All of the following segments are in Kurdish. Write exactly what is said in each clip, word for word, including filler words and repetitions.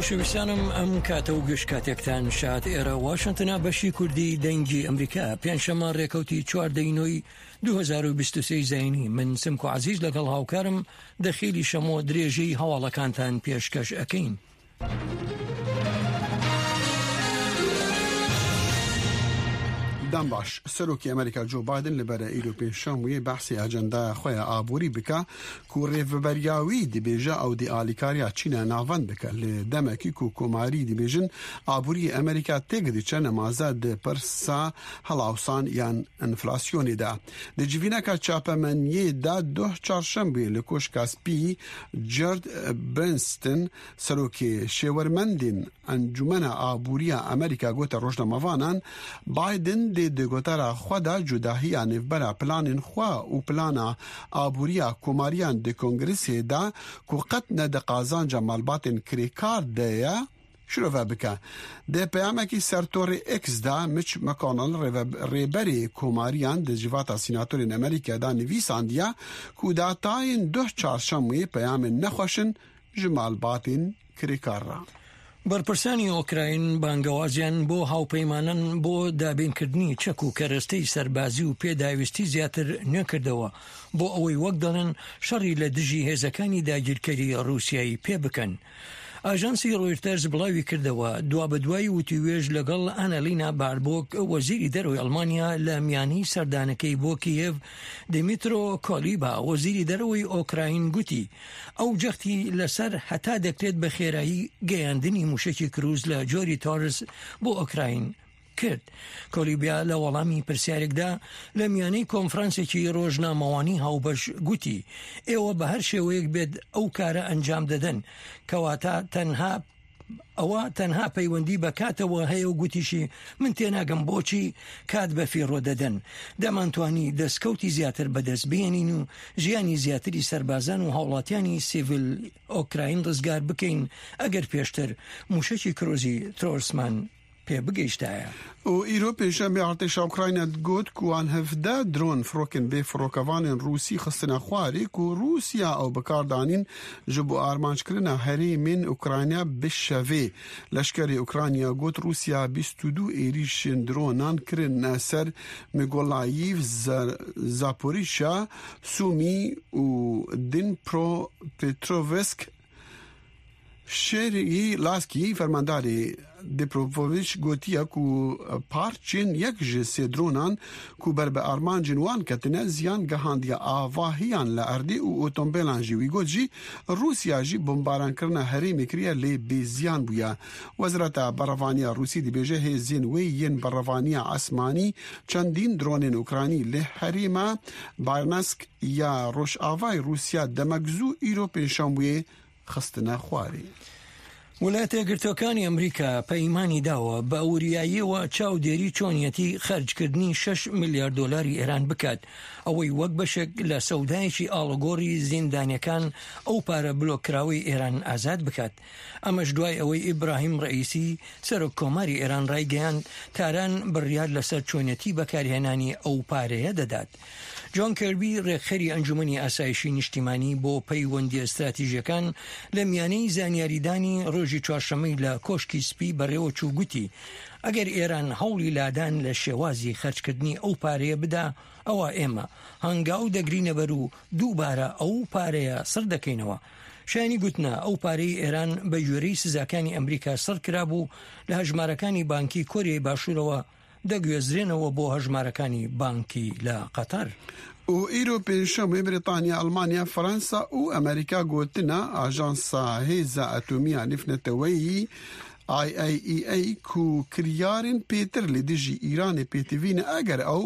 شویسانم ئەم کاتە و گشت کاتێکتان شاد. ئێرە واشنتنە، بەشی کوردی دەنگی ئەمریکا، پێنجشەممە، ڕێکەوتی چواردەی نۆی دوو هەزار و بیست و سێ زینی. من سمکۆ عەزیز لەگەڵ هاوکارم دەخیلی شەمۆ درێژەی هەواڵەکانتان پێشکەش ئەکەین. دەم باش. سەرۆکی ئەمریکا جۆ بایدن لە بەرە ئیرۆ پێنجشەممە وێ بەحسی ئەجەندایە خۆیە ئابووری بکە، کو ڕێڤەبەریاوی دبێژە ئەو دی ئالیکاریا چینە ناوەند بکە. لە دەمەکی کو کۆماری دبێژن ئابووری ئەمریکا تێک دچە نەمازە د پرسا هەڵاوسان یان ئەنفلاسیۆنی دا. د جیڤینەکە چاپەمەنیێ دا دوه چارشەمبێ لە کۆشکا سپی جەرد برنستن، سەرۆکی شێوەرمەندین ئەنجومەنە ئابووریە ئەمریکا گۆتە ڕۆژنامەڤانان، بایدن دێ دەگۆتارە خوەدا جوداهیە نێڤبەرە پلانین خوا و پلانە ئابووریە کۆماریان دە کۆنگرسێدا کو قەت نە دە قازانجە مالباتین کرێکار دەیە شرۆڤە بکە. دە پەیامەکی سەر تۆڕی ئێکسدا مچ مەکۆنڵ ڕێبەرێ کۆماریان دە جیڤاتە سیناتۆرین ئەمریکادا نویساندیە کو داتاین دوه چارشەموی پەیامین نەخوەشن ژ مالباتین کرێکار را. بەرپرسانی ئۆکراین بانگەوازیان بۆ هاوپەیمانان بۆ دابینکردنی چەک و کەرەستەی سەربازی و پێداویستی زیاتر نوێکردەوە، بۆ ئەوەی وەک دەڵێن شەڕی لە دژی هێزەکانی داگیرکەری ڕووسیایی پێ بکەن. ئاژانسی ڕۆیتەرز بڵاوی کردەوە، دوا بە دوای وتیوێژ لەگەڵ ئەنەلینا باربۆک، وەزیری دەرەوەی ئەڵمانیا، لە میانی سەردانەکەی بۆ کیێڤ، دیمیترۆ کۆلیبا، وەزیری دەرەوەی ئۆکراین، گوتی ئەو جەختی لەسەر هەتا دەکرێت بە خێرایی گەیاندنی موشەکی کروز لە جۆری تۆرس بۆ ئۆکراین کرد. کۆلیبیا لە وەڵامی پرسیارێکدا لە میانەی کۆنفرانسێکی ڕۆژنامەوانی هاوبەش گوتی ئێوە بە هەر شێوەیەک بێت ئەو کارە ئەنجام دەدەن، کەواتە تەنها ئەوە تەنها پەیوەندی بە کاتەوە هەیە و گوتیشی من تێناگەم بۆچی کات بە فیڕۆ دەدەن. دەمانتوانی دەستکەوتی زیاتر بەدەست بێنین و ژیانی زیاتری سەربازان و هاوڵاتیانی سیڤیل ئۆکراین ڕزگار بکەین ئەگەر پێشتر موشەکی کرۆزی ترۆرسمان پێ بگەیشتایە. و ئیرۆ پێنجشەممە ئارتێشا ئوکراینە گوت کوان هەڤدە درۆن فڕۆکن بێ فڕۆکەڤانێن ڕووسی خستنە خوارێک و ڕووسیا ئەو بەکاردانین ژ بۆ ئارمانجکردنە هەرێمێن ئوکراینە بشەڤێ. لەشکری ئوکرانیا گوت ڕووسیا بیست و دوو ئێریشێن درۆنان کرنە سەر میگۆلاییڤ، زاپۆریشا، سومی و دین پرۆ پێترۆڤسک. شێری لاسکی فەرمانداری دیپرۆڤۆڤیچ گوتیە کو پارچێن یەک ژێ سێ درۆنان کو بەر بە ئارمانجین وان کەتنە زیان گەهاندیە ئاڤاهیان لە ئەردی و ئۆتۆمبێلان ژی. وی گوت ژی ڕووسیا ژی بمبارانکردنە هەرێمی کریە لێ بێ زیان بووە. وەزرەتە بەڕەڤانیە ڕووسی دبێژە هێزین وێ یەن بەڕەڤانیە ئاسمانی چەندین درۆنێن ئوکرانی لێ هەرێمە بارنەسک یا ڕۆژئاڤای ڕووسیا دەمەک زوو ئیرۆ پێنجشەممە خستنە خوارێ. ویلایەتە یەکگرتووەکانی ئەمریکا پەیمانی داوە بە وریاییەوە چاودێری چۆنیەتی خەرجکردنی شەش ملیار دۆلاری ئێران بکات، ئەوەی وەک بەشێک لە سەودایەکی ئاڵوگۆڕی زیندانیەکان ئەو پارە بلۆککراوەی ئێران ئازاد بکات. ئەمەش دوای ئەوەی ئیبراهیم ڕەئیسی، سەرۆک کۆماری ئێران، ڕایگەیاند تاران بڕیار لەسەر چۆنیەتی بەکارهێنانی ئەو پارەیە دەدات. جۆن کێربی، ڕێکخەری ئەنجومەنی ئاسایشی نیشتیمانی بۆ پەیوەندیە استراتیژیەکان، لە میانەی زانیاریدانی ڕۆژی چوارشەممەی لە کۆشکی سپی بەڕێوە چوو گوتی ئەگەر ئێران هەوڵی لادان لە شێوازی خەرجکردنی ئەو پارەیە بدا، ئەوە ئێمە هەنگاو دەگرینە بەر و دووبارە ئەو پارەیە سڕ دەکەینەوە. شایانی گوتنە ئەو پارەی ئێران بە گوێرەی سزاکانی ئەمریکا سڕ کرابوو، لە هەژمارەکانی بانکی کۆریای باشوورەوە دەگوێزرێنەوە بۆ هەژمارەکانی بانکی لە قەتەر. و ئیرۆ پێنجشەممە بریتانیا، ئەڵمانیا، فەرەنسا و ئەمریکا گوتنە ئاژانسا هێزە ئەتۆمیە نفنەتەوەیی، IAEA، کو کریارین پێتر لە دژی ئیرانێ پێتیڤینە ئەگەر ئەو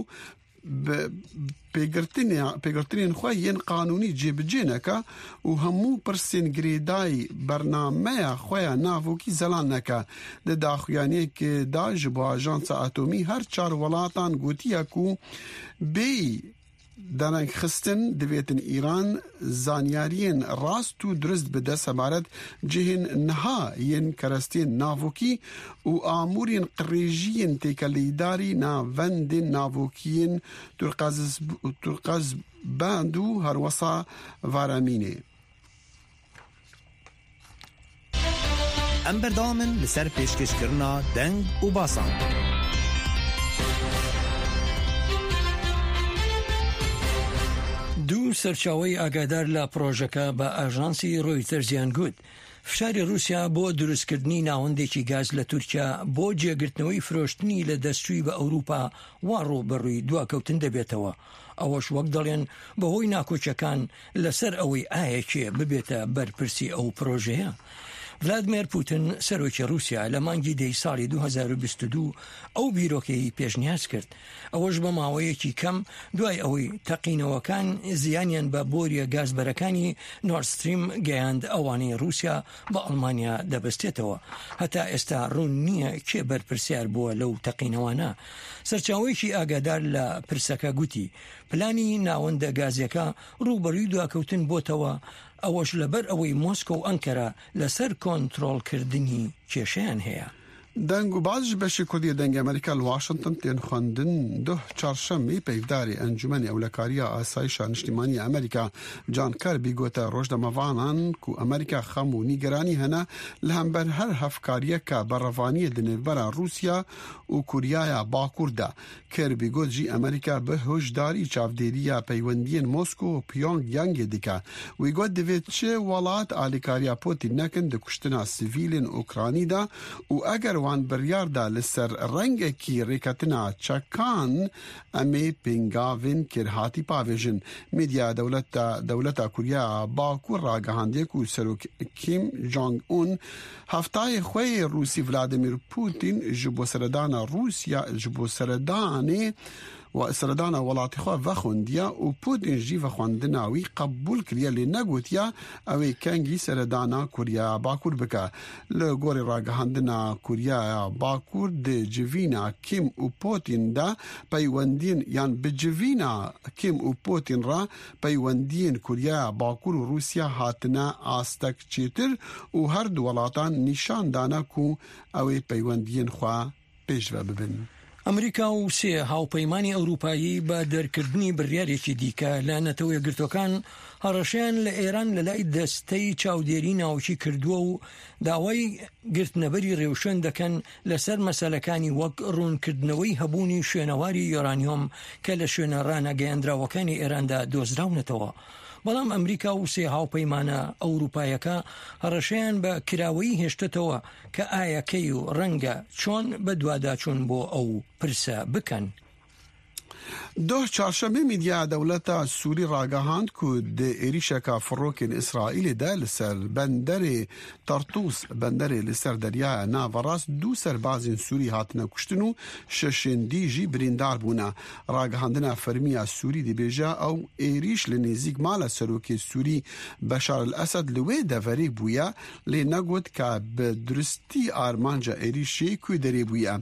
پێگرتنێن خۆ یەن قانونی جێبجێ نەکە و هەموو پرسێن گرێدای بەرنامەیە خۆیان ناڤۆکی زەلان نەکە. دە داخویانەیەکێ دا ژ بۆ ئاژانسە ئەتۆمی هەر چار وڵاتان گوتیە کو بێی دەنگخستن دەبێتن ئیران زانیاریین ڕاست و درست بدە سەبارەت جهێن نها یەن کەرەستێن ناڤۆکی و ئاموورین قڕێژیین تێکەلەیداری ناڤەندێن ناڤۆکیین تورقەزباند و هەروەسا ڤارامینێ. Em berdewam in li ser pêşkêşkirina deng û basan. دوو سەرچاوەی ئاگادار لە پڕۆژەکە بە ئاژانسی ڕۆیتەرزیان گوت، فشاری رووسیا بۆ دروستکردنی ناوەندێکی گاز لە تورکیا بۆ جێگرتنەوەی فرۆشتنی لە دەستچووی بە ئەوروپا وا ڕوو بە ڕووی دواکەوتن دەبێتەوە. ئەوەش وەک دەڵێن بەهۆی ناکۆچەکان لەسەر ئەوەی ئایا کێ ببێتە بەرپرسی ئەو پرۆژەیە. ڤلادمێر پوتن، سەرۆکی رووسیا، لە مانگی دەی ساڵی دوو هەزار و بیست و دوو ئەو بیرۆکەی پێشنیاز کرد. ئەوەش بە ماوەیەکی کەم دوای ئەوەی تەقینەوەکان زیانیان بە بۆریە گازبەرەکانی نۆرد ستریم گەیاند، ئەوانەی رووسیا بە ئەڵمانیا دەبەستێتەوە. هەتا ئێستا ڕوون نییە کێ بەرپرسیار بووە لەو تەقینەوانە. سەرچاوەیەکی ئاگادار لە پرسەکە گوتی، پلانی ناوەندە گازیەکە ڕووبەڕووی دواکەوتن بۆتەوە، ئەوەش لەبەر ئەوەی مۆسکۆ و ئەنکەرە لەسەر کۆنترۆلکردنی کێشەیان هەیە. دەنگ و باز ji beşê Kurdî yê Dengê Amerîka li Washington tên xwendin. Duh çarşemê peyvdarê Encûmenê Ewlekariya Asayişa Niştîmanî ya Amerîka John Kirby gote rojnamevanan ku Amerîka xem û nîgeranî hene li hember her hevkariyeke berevaniyê di nêvbera Rûsya û Koryaya Bakur de. Kirby got jî Amerîka bi hişdarî çavdêriya peywendiyên Mosko û Pyongyangê dike. Wî got divê çi welat alîkariya Putin nekin di kuştina sivîlên Ukranî de û eger wan biryar da li ser rengekî rêketina çekan, em ê pêngavên kêrhatî pavêjin. Medya dewleta, dewleta Kurya Bakur ragihandiye ku Serok Kim Jong-un heftayê xwe yê Rûsî Vladimir Putin ji bo seredana Rûsya, ji bo seredanê we seredana welatê xwe vexwendiya û Putin jî vexwendina wî qebûl kiriye, lê negotiya ew ê kengî seredana Kurya Bakur bike. Li gorî ragihandina Kurya Bakur di civîna Kim û Putin de peywendiyên, yan bi civîna Kim û Putin re peywendiyên Kurya Bakur û Rûsya hatine astek çêtir û her du welatan nîşan dane ku ew ê peywendiyên xwe pêşve bibin. ئەمریکا و سێ هاوپەیمانی ئەوروپایی بە دەرکردنی بڕیارێکی دیکە لە نەتەوە یەکگرتوەکان هەڕەشەیان لە ئێران لە لای دەستەی چاودێری ناوکی کردووە و داوای گرتنەبەری ڕێوشوێن دەکەن لەسەر مەسەلەکانی وەک ڕوونکردنەوەی هەبوونی شوێنەواری یۆرانیۆم کە لە شوێنە ڕانەگەیاندراوەکانی ئێراندا دۆزراونەتەوە. بەڵام ئەمریکا و سێ هاوپەیمانە ئەوروپایەکە هەڕەشەیان بە کراوەیی هێشتەتەوە کە ئایا کەی و ڕەنگە چۆن بە دواداچوون بۆ ئەو پرسە بکەن. Doh çarşemê medya dewleta Sûrî ragihand ku di êrîşeka firokên Îsraîlê de li ser benderê Tartûs, benderê li ser Deryaya Naverast, du serbazên Sûrî hatine kuştin û şeşên dî jî birîndar bûne. Ragihandina fermî ya Sûrî dibêje ew êrîş li nêzîk mala serokê Sûrî Beşar el Esed li wê deverê bûye, lê negot ka bi duristî armanca êrîşê ku derê bûye.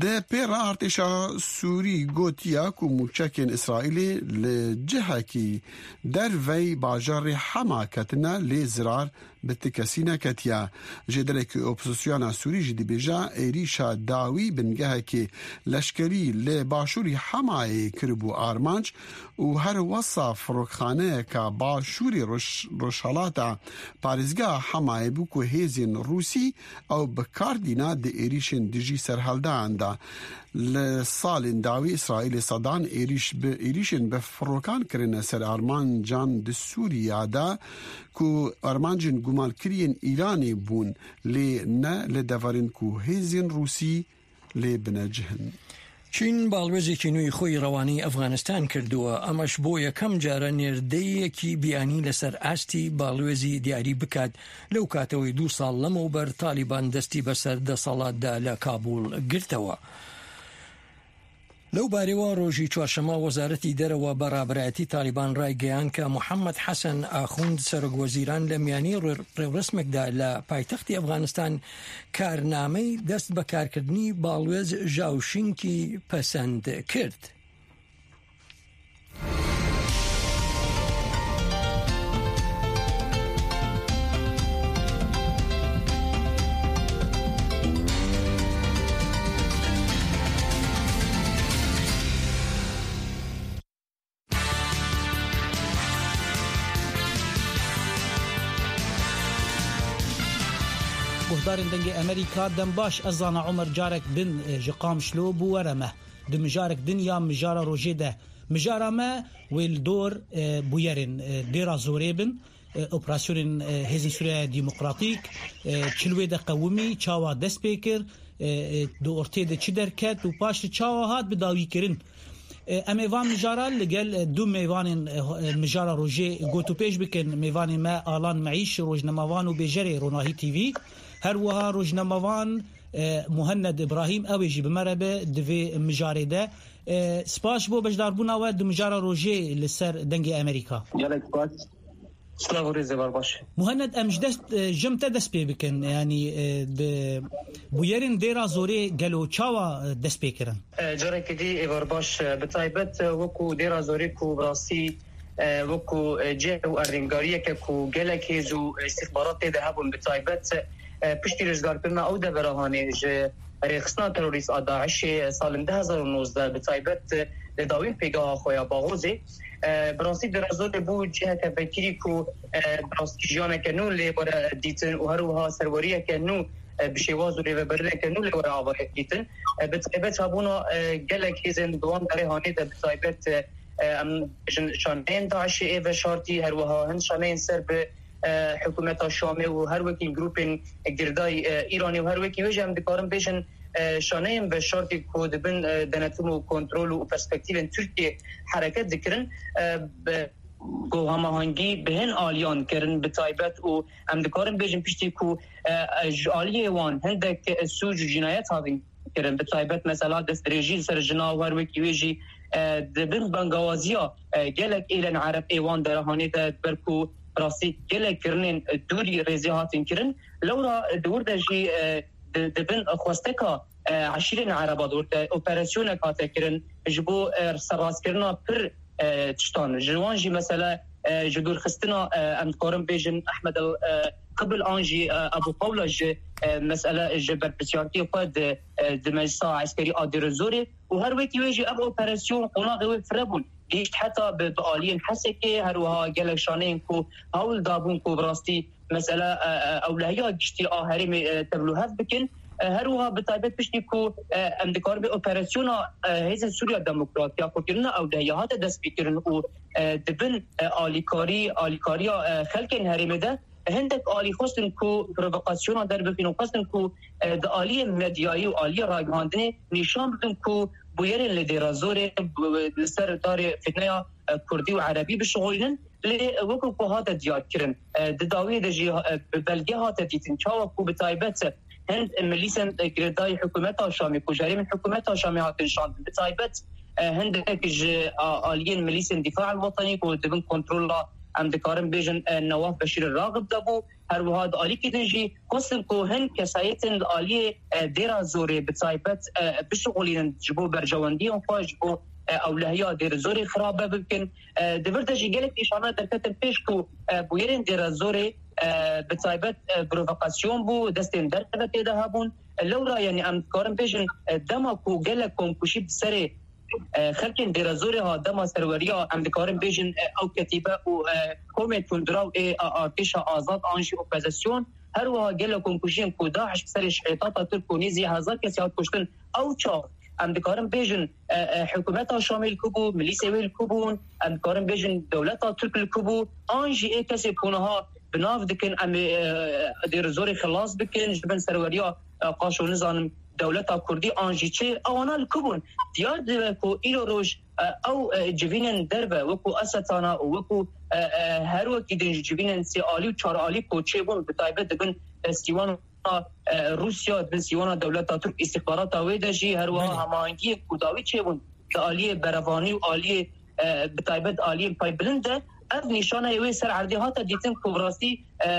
Di pê re artêşa Sûrî gotiye ku mûçekên Îsraîlê li cihekî dervey bajarê Hema ketine, lê zirar bi ti kesî neketiye. Jêderekî opozisyona Sûrî jî dibêje êrîşa dawî bingehekê leşkerî li başûrî Hemayê kiribû armanc û her wesa firokxaneyeka başûrê roj-, rojhelata parêzgeha Hemayê bû ku hêzên Rûsî ew bi kar dîna di êrîşên dijî serhildeyan de. Li salên dawî Îsraîlê sedan êrîş bi, êrîşên bi firokan kirine ser armancan di Sûriya de ku armancên gumankiriyên Îranê bûn, lê ne li deverên ku hêzên Rûsî lê binecih in. چین باڵوێزێکی نوێی خۆی ڕەوانەی ئەفغانستان کردووە، ئەمەش بۆ یەکەم جارە نێردەیەکی بیانی لەسەر ئاستی باڵوێزی دیاری بکات، لەو کاتەوەی دوو ساڵ لەمەوبەر تالیبان دەستی بەسەر دەسەڵاتدا لە کابوڵ گرتەوە. لەو بارەوە ڕۆژی چوارشەممە وەزارەتی دەرەوە بە ڕابەرایەتی تالیبان ڕایگەیاند کە محەممەد حەسەن ئاخوند سەرۆک وەزیران لە میانی ڕێ-، ڕێوڕسمێکدا لە پایتەختی ئەفغانستان کارنامەی دەست بەکارکردنی باڵوێز ژاوشینکی پەسەند کرد. Darên Dengê Amerîka, dem baş, ez zana Omer carek din, e, ji Qamişlo bû were me. Di mijarek din ya mijara rojê de. Mijara me wê li dor, e, bûyerên, e, Dêra Zorê bin, e, operasyonên, e, Hêzên Sûriya Demokratîk, e, çil wê de qewimî, çawa dest pê kir, e, e, di ortê de çi derket û paş de çawa hat bi dawî kirin. E, em ê van mijara li gel, e, du mêvanên, e, ho-, e, mijara rojê gotûpêj bikin. Mêvanê me Alan Meîş, rojnamevan û bêjerê Ronahî T V. Her wiha rojnamevan, e, Muhenned Îbrahîm, ew ê jî bi me re be di vê mijarê de. E, spas ji bo beşdarbûna we di mijara rojê li ser Dengê Amerîka. Gelek spas. Silav û rêzê bar baş. Muhenned, em ji dest, e, jim te dest pê bikin. Yanî, e, di bûyerên Dêra Zorê gelo çawa, e, dest pê kirin? E, carekê dî ê bar baş, e, bi taybet, e, wekû Dêra Zorê ku bi rastî, e, wekû, e, cih û erdêngariyeke ku gelek hêz û, e, îstîxbarat tê de hebûn, bi taybet, e, piştî rizgarkirina ew devera hanê ji rêxistina terorîst a DAIŞê, e, salên du hezar û nozdeh, bi taybet, e, li dawîn pêgeha xwe ya Baxozê, e, bi rastî Dêra Zorê bû ciheke vekirî ku, e, bi rastî jiyaneke nû lê were dîtin û her wiha serweriyeke nû, e, bi şêwaz û rêvebirineke nû lê were avayek dîtin. E, bi taybet hebûna, e, gelek hêzên di wan derê hanê de, bi taybet, e, e, em bêjin şaneyên DAIŞê ê veşartî, her wiha hin şaneyên ser bi, e, hikûmeta Şamê û her wekî grûpên girdayî, e, Îranê û her wekî wê jî em dikarin bêjin, e, şaneyên veşartî ku di bin, e, denetim û kontrol û perspektîvên Tirkiyê hereket dikirin, e, bi ku hemahengî bi hin aliyan kirin bi taybet û em dikarin bêjin piştî ku, e, e, ji aliyê wan hindek, e, sûc û cînayet hatin kirin, bi taybet mesela destdirêjî li ser jina û her wekî wê jî, e, di bin bangawaziya, e, gelek êlên Ereb ê wan derehanê de, ber ku rastî gelek kirinên, e, dûrî rêzê hatin kirin. Lewra, e, di wir de jî, e, di, di bin xwesteka, e, eşîrên Ereba de wir de operasyonek hate kirin ji bo, e, serrastkirina pir, e, tiştan. Ji wan jî mesela, e, ji dûrxistina, e, em dikarin bêjin Ehmed el, e, Qibil an jî, e, Ebû Qewla ji, e, mesela ji berpirsiyartiyê xwe di, e, di Meclisa Eskerî a Dêrezorê û her wekî wê jî ev operasyon qonaxê wê fire bûn. Gihişt heta bi, bi aliyên Hesekê, her wiha gelek şaneyên ku hewl dabûn ku bi rastî mesela, e, e, ewlehiya giştî a herêmê, e, tevlûhev bikin. E, her wiha bi taybet piştî ku, e, em dikarin bê operasyona, e, Hêzên Sûriya Demokrat ya xwekirina ewlehiya hate destpêkirin û, e, di bin, e, alîkarî, alîkariya, e, xelkên herêmê de hindek alî xwestin ku provokasyona derbixin û xwestin ku, e, di aliyê medyayî û aliyê ragihandinê nîşan bidin ku bûyerên li Dêra Zorê, b-, li ser darê fitneya, e, kurdî û erebî bişixulînin. Lê wekî ku hate diyarkirin, e, di dawiyê de jî, e, bi belge hate dîtin, çawa ku bi taybet hin milîsên, e, girêdayî hikûmeta Şamê, ku ji herêmên hikûmeta Şamê hatin şandin, bi taybet, e, hindek ji a-, aliyên milîsên Dîfa el Wetenî ku di bin kontrola, em dikarin bêjin, e, Newaf Beşîr Raxib de bû, her wiha di alîkî din jî xwestin ku hin kesayetên li aliyê, e, Dêra Zorê bi taybet, e, bişixulînin ji bo berjewendiyên xwe, ji bo, e, ewlehiya Dêra Zorê xirabe bikin. E, di vir de jî gelek nîşana derketin pêş ku, e, bûyerên Dêra Zorê, e, bi taybet, e, provokasyon bû, destên derve tê de hebûn. E, lewra, yanî em dikarin bêjin, e, dema ku gelek komkujî bi serê, e, xelkên Dêra Zorê hat, dema serweriya, em dikarin bêjin, e, ew ketîbe û, e, komên tundiraw ê, e, artêşa azad an jî opozisyon, her wiha gelek komkujiyên ku DAIŞ bi serê şehîdata Tirk û nêzî hezar kesî hat kuştin, ew çax em dikarin bêjin, e, e, hikûmeta Şamê li ku bû, milîsê wê li ku bûn, em dikarin bêjin dewleta Tirk li ku bû, an jî ê kesê ku niha bi nav dikin, em ê, e, Dêrezorê xilas bikin ji bin serweriya, e, qaşo nizanim dewleta Kurdî an jî çi, ewana li ku bûn? Diyar dibe ku îro roj, e, ew, e, civînên derve wekû Esetana û wekû, e, e, her wekî din jî civînên sê alî û çar alî ku çêbûn, bi taybet dibin, e, sîwana, e, Rûsya, dibin sîwana dewleta Tirk, îstixbarata wê de jî her wiha Belê. hemahengiyên ku dawî çêbûn di aliyê berevanî û aliyê, e, bi taybet aliyên paybilind de, ev nîşaneyê wê ser erdê hate dîtin ku bi rastî, e,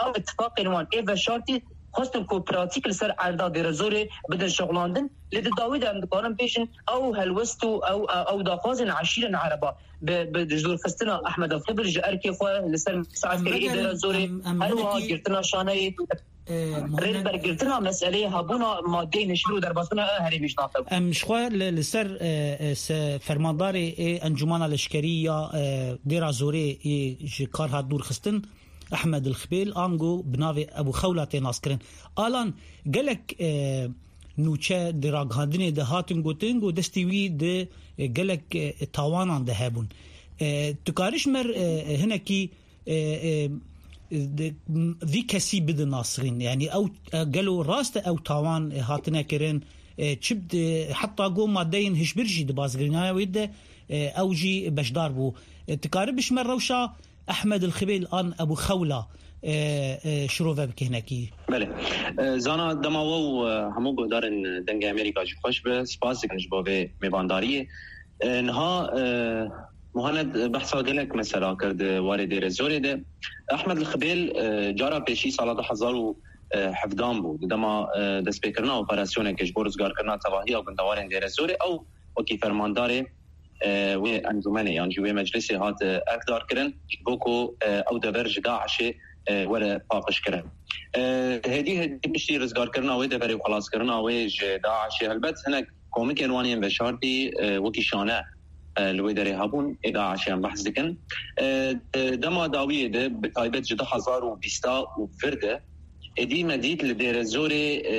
ew îtifaqên wan ê veşartî xwestin ku pratîk li ser erda Dêrezorê bidin şixulandin. Lê di dawî de em dikarin bêjin ew helwest û ew, ew daxwazên eşîrên Ereba bi, bi dûrxistina Ehmed Xibil ji erkê xwe li ser Meclisa Eskerî ê Dêrezorê, em, em her wiha hinekî, girtina şaneyê, e, Muhammed, rêbergirtina meseleyê hebûna madeyên hişmîr û derbasbûna herêmê ji nav de bû. Em ji xwe li, li ser, e, e, se-, fermandarê ê Encûmana Leşkerî ya, e, Dêra Zorê ê ji kar hat dûr xistin, Ehmed El Xibêl, ango bi navê Ebû Xewla tê naskirin. Alan, gelek, e, nûçe di ragihandinê de hatin gotin, ku destê wî di, e, gelek, e, tawanan de hebûn. E, tu karî ji me, e, hinekî, e, e, di, vî kesî bidin nasîxîn? Yanî ew, e, gelo rast e ew tawan, e, hatine kirin? E, çi bi, heta go madeyên hişbir jî di bazgirînaya wê de, e, ew jî beşdar bû. E, tu karî bi ji me rewşa Ehmed El Xibêl an Ebû Xewla, e, e, şirove bike hinekî. Belê. E, Zana, dema we û, e, hemû guhdarên Dengê Amerîka jî xweş be. Spas dikim ji bo vê mêvandariyê. E, niha, e, Muhaned behsa gelek mesela kir di warê Dêrezorê de. Ehmed El Xibêl, e, cara pêşî sala du hezar û hevdehan bû. Di dema, e, destpêkirina operasyonekê ji bo rizgarkirina tevahiya gundewarên Dêrezorê, ew wekî fermandarê e, wê encûmenê yan jî wê meclisê hat, e, erkdarkirin, ji bo ku, e, ew dever ji DAIŞê, e, were paqijkirin. E, hêdî hêdî piştî rizgarkirina wê deverê û xelaskirina wê ji DAIŞê, helbet hinek komikên wan yên veşartî, e, wekî şane, e, li wê derê hebûn, ê DAIŞê em behs dikin. E, e, dema dawiyê de, bi taybet ji du hezar û bîst û vir de, êdî me dît li Dêrezorê, e,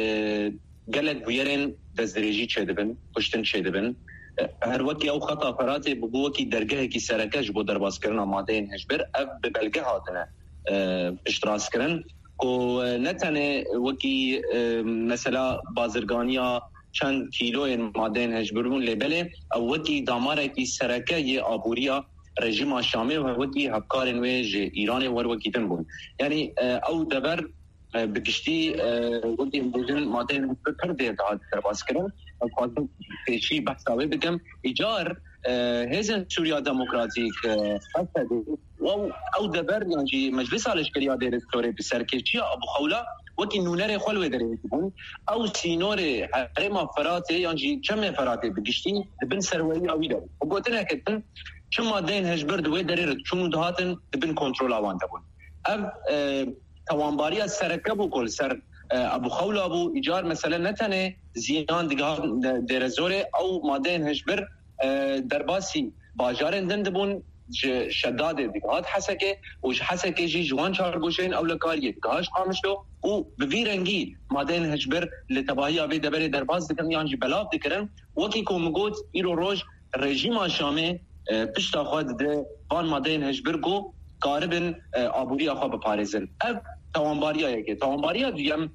gelek bûyerên destdirêjî çêdibin, kuştin çêdibin. E, her wekî ew xeta Feratê bûbû wekî dergehekî sereke ji bo derbaskirina madeyên hişbir, ev bi belge hatine, e, piştrastkirin ku, e, ne tenê wekî, e, mesela bazirganiya çend kîloyên madeyên hişbir bûn, lê belê ew wekî damarekî sereke yê aboriya rejîma Şamê û her wekî hevkarên wê ji Îranê û her wekî din bûn. Yanî, e, ew dever e, bi giştî, e, wekî em dibêjin, madeyên pir pir dêr dihat derbas kirin. Ez dixwazim pêşî behsa wê bikim. Îcar, e, Hêzên Sûriya Demokratîk, e, H S D, ew, ew dever yan jî Meclisa Leşkeriya Dêrê Zorê bi serkêşiya Abu Xewla wekî nûnerê xwe li wê derê dibûn. Ew sînorê herêma Feratê yan jî çemê Feratê bi giştî di bin serweriya wî de bû. Bi gotineke din, çi madeyên hişbir di wê derê re diçûn û dihatin, di bin kontrola wan de bûn. Ev, e, tawanbariya sereke bû ku li ser, e, Ebû Xewla bû. Îcar mesele ne tenê ziyan digihat Dêrezorê, ew madeyên hişbir, e, derbasî bajarên din dibûn, ji Şedadê digihat Hesekê û ji Hesekê jî ji wan çar goşeyên ewlekariyê digihat Qamişlo û bi vî rengî madeyên hişbir li tevahiya vê deverê derbas dikirin yan jî belav dikirin. Wekî ku min got, îro roj rejîma Şamê, e, pişta xwe dide van madeyên hişbir ku karibin, e, aboriya xwe biparêzin. Ev tawanbariya yekê. Tawanbariya duyem,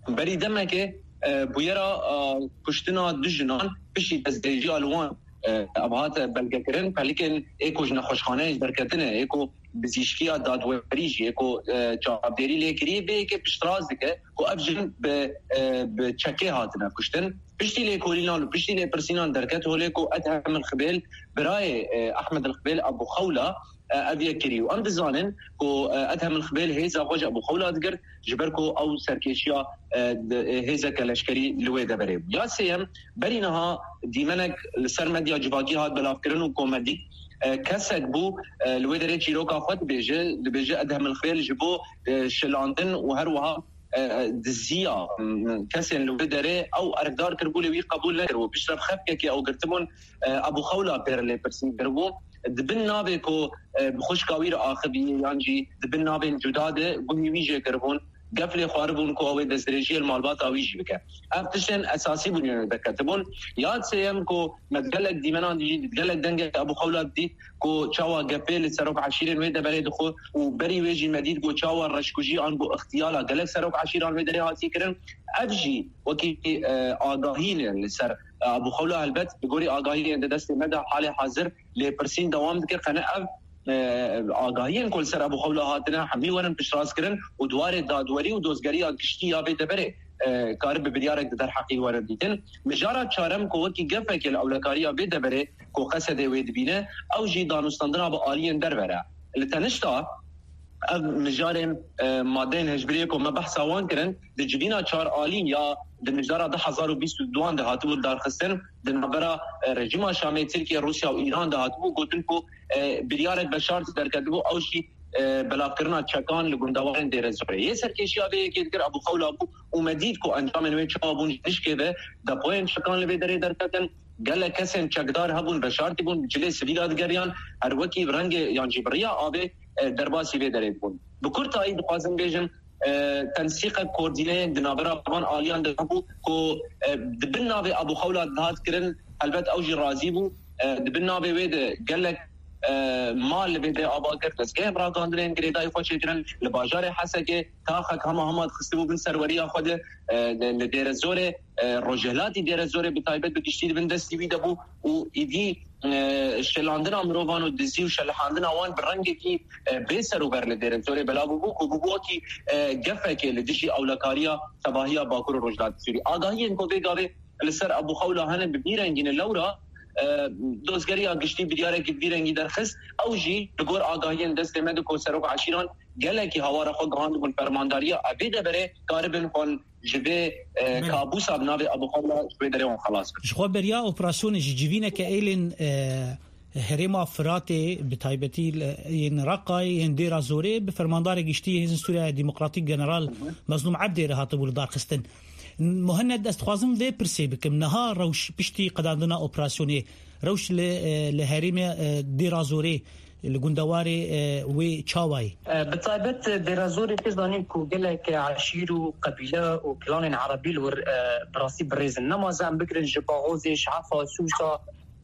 berî demekê, e, bûyera, e, kuştina du jinan piştî destdirêjiya li wan, e, ev hate belgekirin. Pelikên ê ku ji nexweşxaneyê derketine, ê ku bizîşkiya dadwerî jî, ê ku, e, çavdêrî lê kirî, vê yekê piştrast dike ku ev jin bi, e, bi çekê hatine kuştin. Piştî lêkolînan û piştî lêpirsînan derket holê ku Edhem El Xibêl, birayê, e, Ehmed El Xibêl, Ebû Xewla, e, ev yek kirî. Û em dizanin ku, e, Edhem El Xibêl hêza xwe ji Ebû Xewla digirt, ji ber ku ew serkêşiya, e, di, e, hêzeke leşkerî li wê deverê bû. Ya sêyem, berî niha dîmenek li ser medya civakî hat belavkirin û ku me dît, e, kesek bû, e, li wê derê çîroka xwe dibêje, dibêje Edhem El Xibêl ji bo, e, şilandin û her wiha, e, e, diziya, m, kesên li wê derê ew erkdar kiribû, lê wî qebûl nekiribû. Piştre bi xefkekê ew girtibûn, e, Ebû Xewla pê re lêpirsîn kiribû. Di bin navê ku, e, bi xwişka wî re axivî yan jî di bin navên cuda de guhî wî jê kiribûn. Gef lê xwaribûn ku ew ê destdirêjiyê li malbata wî jî bike. Ev tiştên esasî bûn yên derketibûn. Ya sêyem ku me gelek dîmenan dî, gelek dengê Ebû Xewla dît ku çawa gefê li serok eşîrên wê deverê dixwe û berî wê jî me dît ku çawa reşkujî an ku ixtiyala gelek serok eşîran wê derê hatiye kirin. Ev jî wekî, e, agahî ne li ser, e, Ebû Xewla. Helbet, bi gorî agahiyên di destê me de halê hazir lêpirsîn dewam dike. Qene ev, e, agahiyên ku li ser Ebû Xewla hatine, hemî werin piştrast kirin û di warê dadwerî û dozgeriya giştî ya vê deverê, e, karibe biryarek di derheqî were dîtin. Mijara çarem ku wekî gefekê li ewlekariya vê deverê ku Qesedê wê dibîne, ew jî danûstandina bi aliyên derve re. Li tenişta ev mijarên, e, madeyên hişbiriyê ku me behsa wan kirin, di civîna çar alî ya di mijara du hezar û bîst û duan de hatibû darxistin, di navbera, e, rejîma Şamê, Tirkiye, Rûsya û Îran de hatibû gotin ku, e, biryarek veşart derketibû, ew jî, e, belavkirina çekan li gundewarên Dêrezorê. Yê serkêşiya vê yekê dikir Ebû Xewla bû û me dît ku encamên wê çawa bûn, ji nişkê ve depoyên çekan li vê derê derketin. Gelek kesên çekdar hebûn, veşartî bûn, bi cilê sivîla digeriyan, her wekî bi rengê yan jî bi riya avê, e, derbasî vê derê dibûn. Bi kurtayî dixwazim bêjim, e, tensîqek koordîneyek di navbera van aliyan de bû ku, e, di bin navê Abu Xewla dihat kirin, helbet ew jî razî bû. E, di bin navê wê de gelek, e, mal li vê de ava kir, dezgehên ragandinên girêdayî xwe çêkirin, li bajarê Hesekê taxek hema hema dixistibû bin serweriya xwe de, e, li, li Dêrezorê, e, rojhilatî Dêrezorê bi taybet bi giştî di bin destî wî de bû û îdî, e, şelandina mirovan û dizî û şelihandina wan bi rengekî, e, bê ser û ber li Dêrezorê belav bûbû ku bûbû wekî, e, gefekê li dijî ewlekariya tevahiya Bakur û Rojhilatê Sûrî. Agahiyên ku vê gavê li ser Ebû Xewla hene bi vî rengî ne lewra, e, dozgeriya giştî biryareke bi vî rengî derxist. Ew jî li gor agahiyên destê me de ku serok eşîran gelekî hawara xwe gihandibûn fermandariya evê deverê karibin xwe ji vê, e, Belê. kabûsa bi navê Ebû Xewla ji wê derê wan xelas bikin. Ji xwe beriya operasyonê ji civîneke êlên, e, herêma Firatê, bi taybetî li, yên Reqayê, yên Dêra Zorê, bi fermandarê giştî Hêzên Sûriya Demokratîk General Hı hı. Mezlûm Ebdê re hatibû lidarxistin. Muhennet, ez dixwazim vê pirsê bikim. Niha rewş piştî qedandina operasyonê, rewş li, e, li herêmê, e, Dêra Zorê, li gundewarê, e, wê çawa ye? E, bi taybet Dêra Zorê tê zanîn ku gelek eşîr û qebîle û klanên erebî li wir, e, bi rastî birêz in. Nema ze em bigirin ji Baxozê, ji Hefa, Sûsa,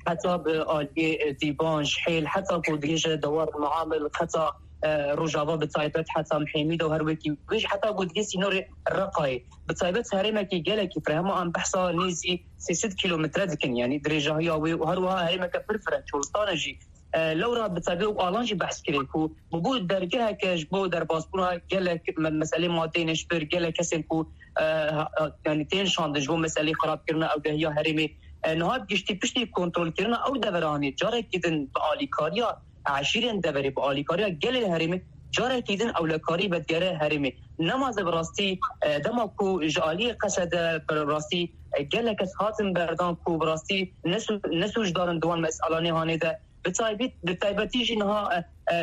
heta bi aliyê, e, Dîban, ji Hêl, heta ku digihêje dewar Muamil, heta, e, Rojava bi taybet, heta Mihêmîda û her wekî wê jî heta ku digihê sînorê Reqayê. Bi taybet herêmekî gelekî fireh, hema em behsa nêzî sê sed kîlometre dikin, yanî dirêjahiya wê û her wiha herêmeke pir fireh, çolistane jî. E, lewra bi taybet û alan jî behs kirê ku bûbû dergeheke ji bo derbasbûna gelek me-, meselê madeyên hişbir, gelek kesên ku, e, ha-, ha-, yanî tên şandin ji bo meselê xirabkirina ewlehiya herêmê. E, niha giştî piştî kontrolkirina ew deveranê carekî din bi alîkariya eşîrên deverê, bi alîkariya gelê herêmê carekî din ewlekarî vedigere herêmê. Nema ze bi rastî, e, dema ku ji aliyê Qesede bi rastî, e, gelek kes hatin berdan ku bi rastî ne sû-, ne sûcdar in di wan meselanê hanê de. Bi taybet-, bi taybetî jî niha, e, e,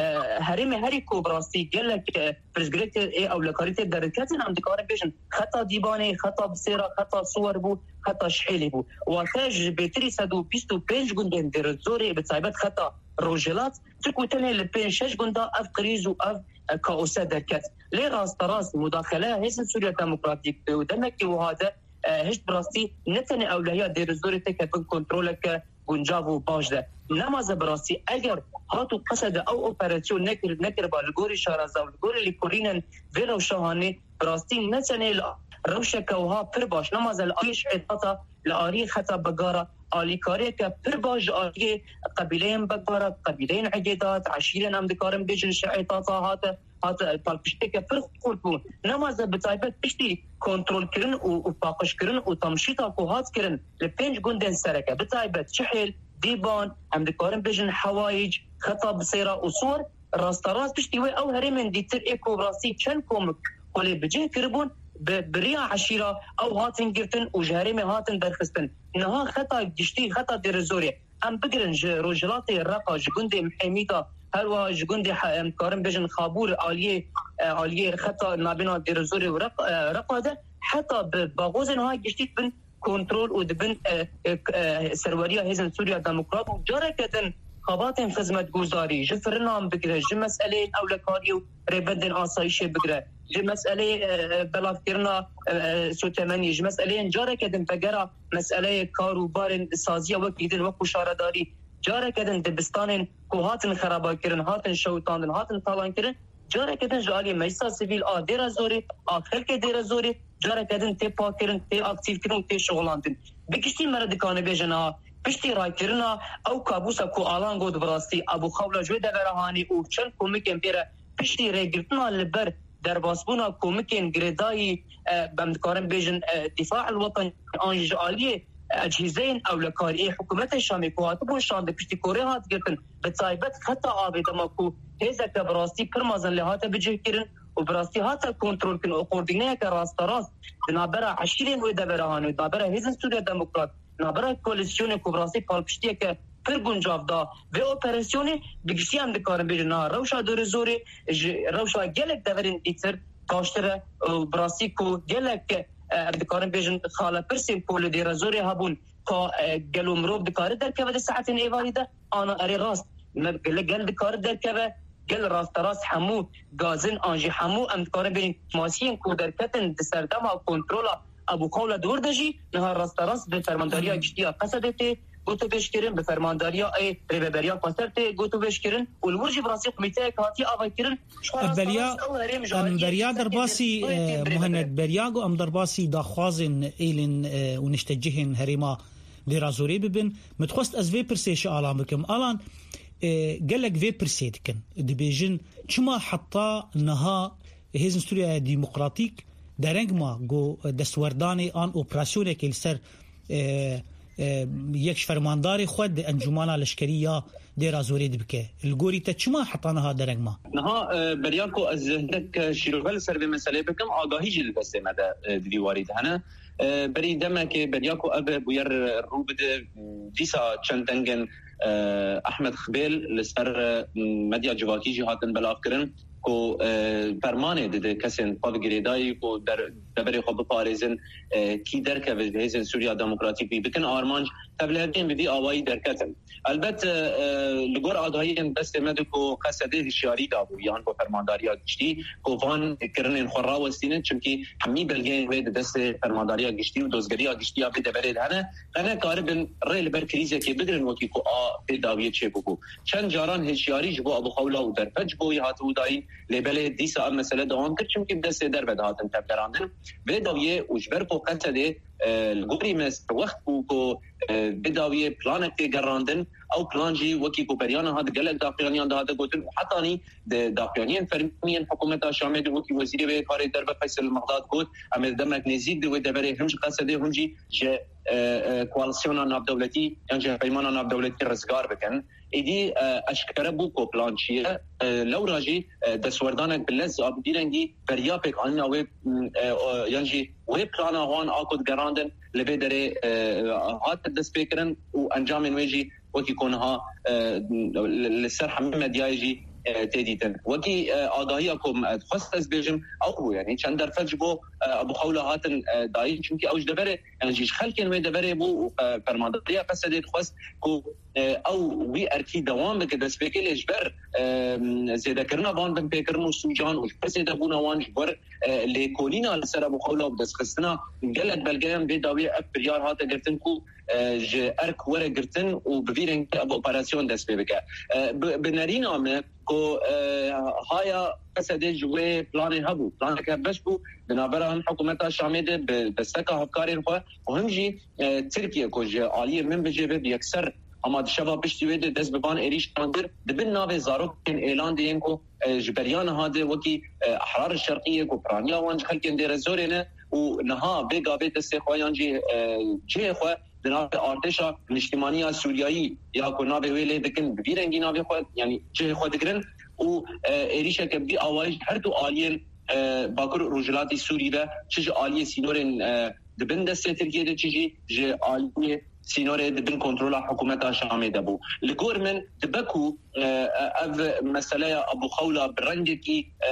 herêmê herî ku bi rastî gelek, e, pirsgirêk tê, ê ewlekarî tê derketin, em dikarin bêjin xeta Dîbanê, xeta Bisêra, xeta Siwer bû, xeta Şihêlê bû. Wate ji bêtirî sed û bîst û pênc gundên Dêrezorê, bi taybet xeta Rojhilat, çi ku tenê li pênc şeş gunda ev krîz û ev, e, kaose derket. Lê rasterast mudaxeleya Hêzên Sûriya Demokratîk di demekî wiha de, e, hişt bi rastî ne tenê ewlehiya Dêrezorê têke bin kontroleke guncav û baş de. Nema ze bi rastî eger hat û Qesede ew operasyon nekir-, nekiriba li gorî şareza û li gorî lêkolînên vê rewşa hanê, bi rastî ne tenê li rewşeke wiha pir baş, nema ze li aliyê şehêdata, li aliyê xeta Begara, alîkariyeke pir baş ji aliyê qebîleyên Begara, qebîleyên Egêdat, eşîrên em dikarin bêjin şehêdata hate, hate palpişteke pir xurt bû. Nema ze bi taybet piştî kontrolkirin û, û paqijkirin û tamşîta ku hat kirin li pênc gundên sereke, bi taybet Çihêl, Dîban, em dikarin bêjin Hewayîc, xeta Bisêra û Siwer, rasterast piştî wê ew herêmên dîtir ê ku bi rastî çend komik xwe lê bi cih kiribûn, bi, bi riya eşîra ew hatin girtin û ji herêmê hatin derxistin. Niha xeta giştî, xeta Dêrezorê, em bigirin ji rojhilatê Reqa, ji gundê Mihêmîda, her wiha ji gundê he-, em dikarin bêjin Xabûr, aliyê, e, aliyê xeta nabêna Dêrezorê û Req-, e, Reqa de, heta bi Baxozê niha giştî dibin kontrol û dibin, e, e, e, serweriya Hêzên Sûriya Demokrat û careke din xebatên xizmetguzarî, ji firinan bigire, ji meseleyên ewlekariyê û rêbendên asayîşê bigire, ji meseleyê, e, e, belavkirina, e, e, sotemeniyê, ji meseleyên careke din vegera meseleyê kar û barên saziya wekî din, wekû şaredarî, careke din dibistanên ku hatin xerabakirin, hatin şewitandin, hatin talankirin, careke din ji aliyê Meclisa Sivîl a Dêra Zorê, a xelkê Dêra Zorê, careke din tê pakirin, tê aktîfkirin û tê şixulandin. Bi giştî me re dikane bêje niha, piştî rakirina ew kabûsa ku Alan got bi rastî, Ebû Xewla ji wê devera hanê û çend komikên pê re piştî rêgirtina li ber derbasbûna komikên girêdayî, e, em dikarin bêjin, e, Dîfa el Weten an jî ji aliyê ecihîzeyên ewlekariyê hikûmetê Şamê ku hatibûn şandin piştî ku rê hat girtin, bi taybet xeta avê dema ku hêzeke bi rastî pir mezin lê hate bicihkirin û bi rastî hate kontrolkirin û koordîneyeke rasterast di navbera eşîrên wê devera hanê û di navbera Hêzên Sûriya Demokrat, di navbera koalîsyonê ku bi rastî palpiştiyeke pir guncav da vê operasyonê, bi giştî em dikarin bêjin niha rewşa Dêrezorê ji rewşa gelek deverên dîtir baştir e û bi rastî ku gelek, e, em dikarin bêjin xalepirsên ku li Dêrezorê hebûn, ka, e, gelo mirov dikare derkeve di saetên êvarî de, ana erê rast, me, gel, gel dikare derkeve, Gel rasterast hemû gazin an jî hemû em dikarin bêjin kêmasiyên ku derketin di serdema kontrola Ebû Xewla di wir de jî niha rasterast bi fermandariya giştî ya Qesedê tê gotobeş kirin, bi fermandariya ê rêveberiya Xweser tê gotobeş kirin û li wir jî bi rastî komîteyek hatiye avakirin. Ji xwe Ev beriya, rasterast ew herêm ji em aliyê beriya Qesedê derbasî, tê eh, birêve Muhennet beriya ku em derbasî daxwazên êlên, eh, û niştecihên herêma Dêra Zorê bibin. Min dixwest ez vê pirsê ji Alan bikim. Alan, e, gelek vê pirsê dikin. Dibêjin, çima heta niha Hêzên Sûriya Demokratîk dereng ma ku destwerdanê an operasyonekê li ser, e, e, yek ji fermandarê xwe di encûmana leşkerî ya Dêra Zorê dibike? Li gorî te çima heta niha dereng ma? Niha, e, beriya ku ez hindek şîrove li ser vê meseleyê bikim, agahî jî li destê me de, e, di vî warî de hene. E, berî demekê, beriya ku ev bûyer rû bide, dîsa çend dengên, e, Ehmed Xibêl li ser, e, medya civakî jî hatin belavkirin ku, e, fermanê dide kesên xwe bi girêdayî ku der-, deverê xwe biparêzin, e, kî derkeve ji Hêzên Sûriya Demokratîk wî bikin armanc, tevliheviyên bi vî awayî derketin. Elbet, e, e, li gor agahiyên destê me de ku Qesedê hişyarî dabû yan bo fermandariya giştî ku van kirinên xwe rawestînin, çimkî hemî belgeyên wê di destê fermandariya giştî û dozgeriya giştî ya vê deverê de hene, qe nekaribin rê li ber krîzekê bigirin wekî ku a vê dawiyê çêbûbû. Çend caran hişyarî ji bo Ebû Xewla û Derfet ji bo wî hatibû dayîn, lê belê dîsa ev mesele dewam kir, çimkî bi destê derve dihatin tevgerandin. Vê dawiyê û ji ber ku Qesedê, e, li gorî me serwext bû ku, e, vê dawiyê planek tê gerandin. Ew plan jî wekî ku beriya niha di gelek daxuyaniyan dihate gotin û hetanî di daxuyaniyên fermî yên hikûmeta Şamê de wekî Wezîrê Wê Karê Derve Feysel Mexdad got, em ê demek nêzîk di wê deverê him ji Qesedê him jî ji, e, e, koalîsyona navdewletî yan ji hevpeymana navdewletî rizgar bikin. Êdî, e, eşkere bû ku plan çi ye. E, lewra jî, e, destwerdanek bi lez a bi vî rengî beriya pêkanîna wê, m, e, o, yan jî wê plana wan a ku digerandin li vê derê, e, hate destpêkirin û encamên wê jî wekî ku niha, e, li, li ser hemî medyayê jî, e, tê dîtin. Wekî, e, agahiya ku me dixwest ez bêjim, ew bû, yanî çend derfet ji bo, e, Ebû Xewla hatin, e, dayîn, çimkî ew ji deverê, yanî jî ji xelkên wê deverê bû û, e, fermandariya Qesedê dixwest ku, e, ew wî erkî dewam bike destpêkê, lê ji ber, e, zêdekirina van binpêkirin û sûcan û ji ber zêdebûna wan, ji ber, e, lêkolîna li ser Ebû Xewla û bi destxistina gelek belgeyan vê dawiyê ev biryar hate girtin ku, e, ji erk were girtin û bi vî rengî ev operasyon dest pê bike. E, bi, bi nerîna me ku, e, haya Qesedê ji wê planê hebû, planek hevbeş bû, di navbera him hikûmeta Şamê de bi desteka hevkarên xwe û him jî, e, Tirkiye ku ji aliyê min bicêve bi yekser hema di şeva piştî wê de dest bi van êrîşan kir, di bin navê zarokên êlan de yên ku, e, ji beriya niha de wekî, e, Ehrar Şerqiyê ku piraniya wan ji xelkên Dêrezorê ne û niha vê gavê destê xwe yan jî, e, cihê xwe di navê artêşa niştimaniya Sûriyayî ya ku navê wê lê dikin, bi vî rengî navê xwe, yanî cihê xwe digirin û, e, êrîşeke bi vî awayî ji her du aliyên, e, Bakur û Rojhilatî Sûrî ve, çi ji aliyê sînorên, e, di bin destê Tirkiyê de, çi jî ji aliyê sînorê di bin kontrola hikûmeta Şamê de bû. Li gor min dibe ku, e, ev meseleya Ebû Xewla bi rengekî, e,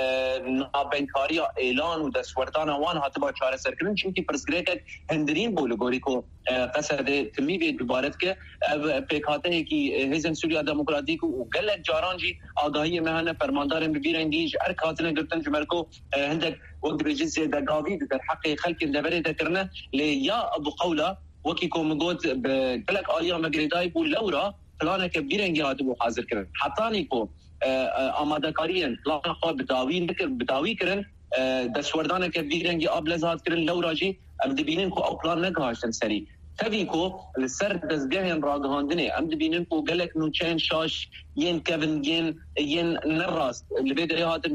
nabenkariya êlan û destwerdana wan hatiba çareserkirin, çimkî pirsgirêkek hundirîn bû li gorî ku, e, Qesedê timî vê dubare dike. Ev pêkhateyekî, e, Hêzên Sûriya Demokratîk û gelek caran jî agahiyê me hene, fermandarên bi vî rengî ji erk hatine girtin, ji ber ku, e, hindek wek dibêjin zêdegavî di derheqê xelkên deverê de kirine. Lê ya Ebû Xewla, wekî ku min got, bi gelek aliyan ve girêdayî bû, lewra planeke vî rengî hatibû hazirkirin. Hetanî ku, e, e, amadekariyên plana xwe bi dawî nekir, bi dawî kirin, e, destwerdaneke vî rengî a bi lez hat kirin, lewra jî em dibînin ku ew plan negihaştin serî. Tevî ku li ser dezgehên ragihandinê em dibînin ku gelek nûçeyên şaş yên kevin, yên, yên nerast li vê derê hatin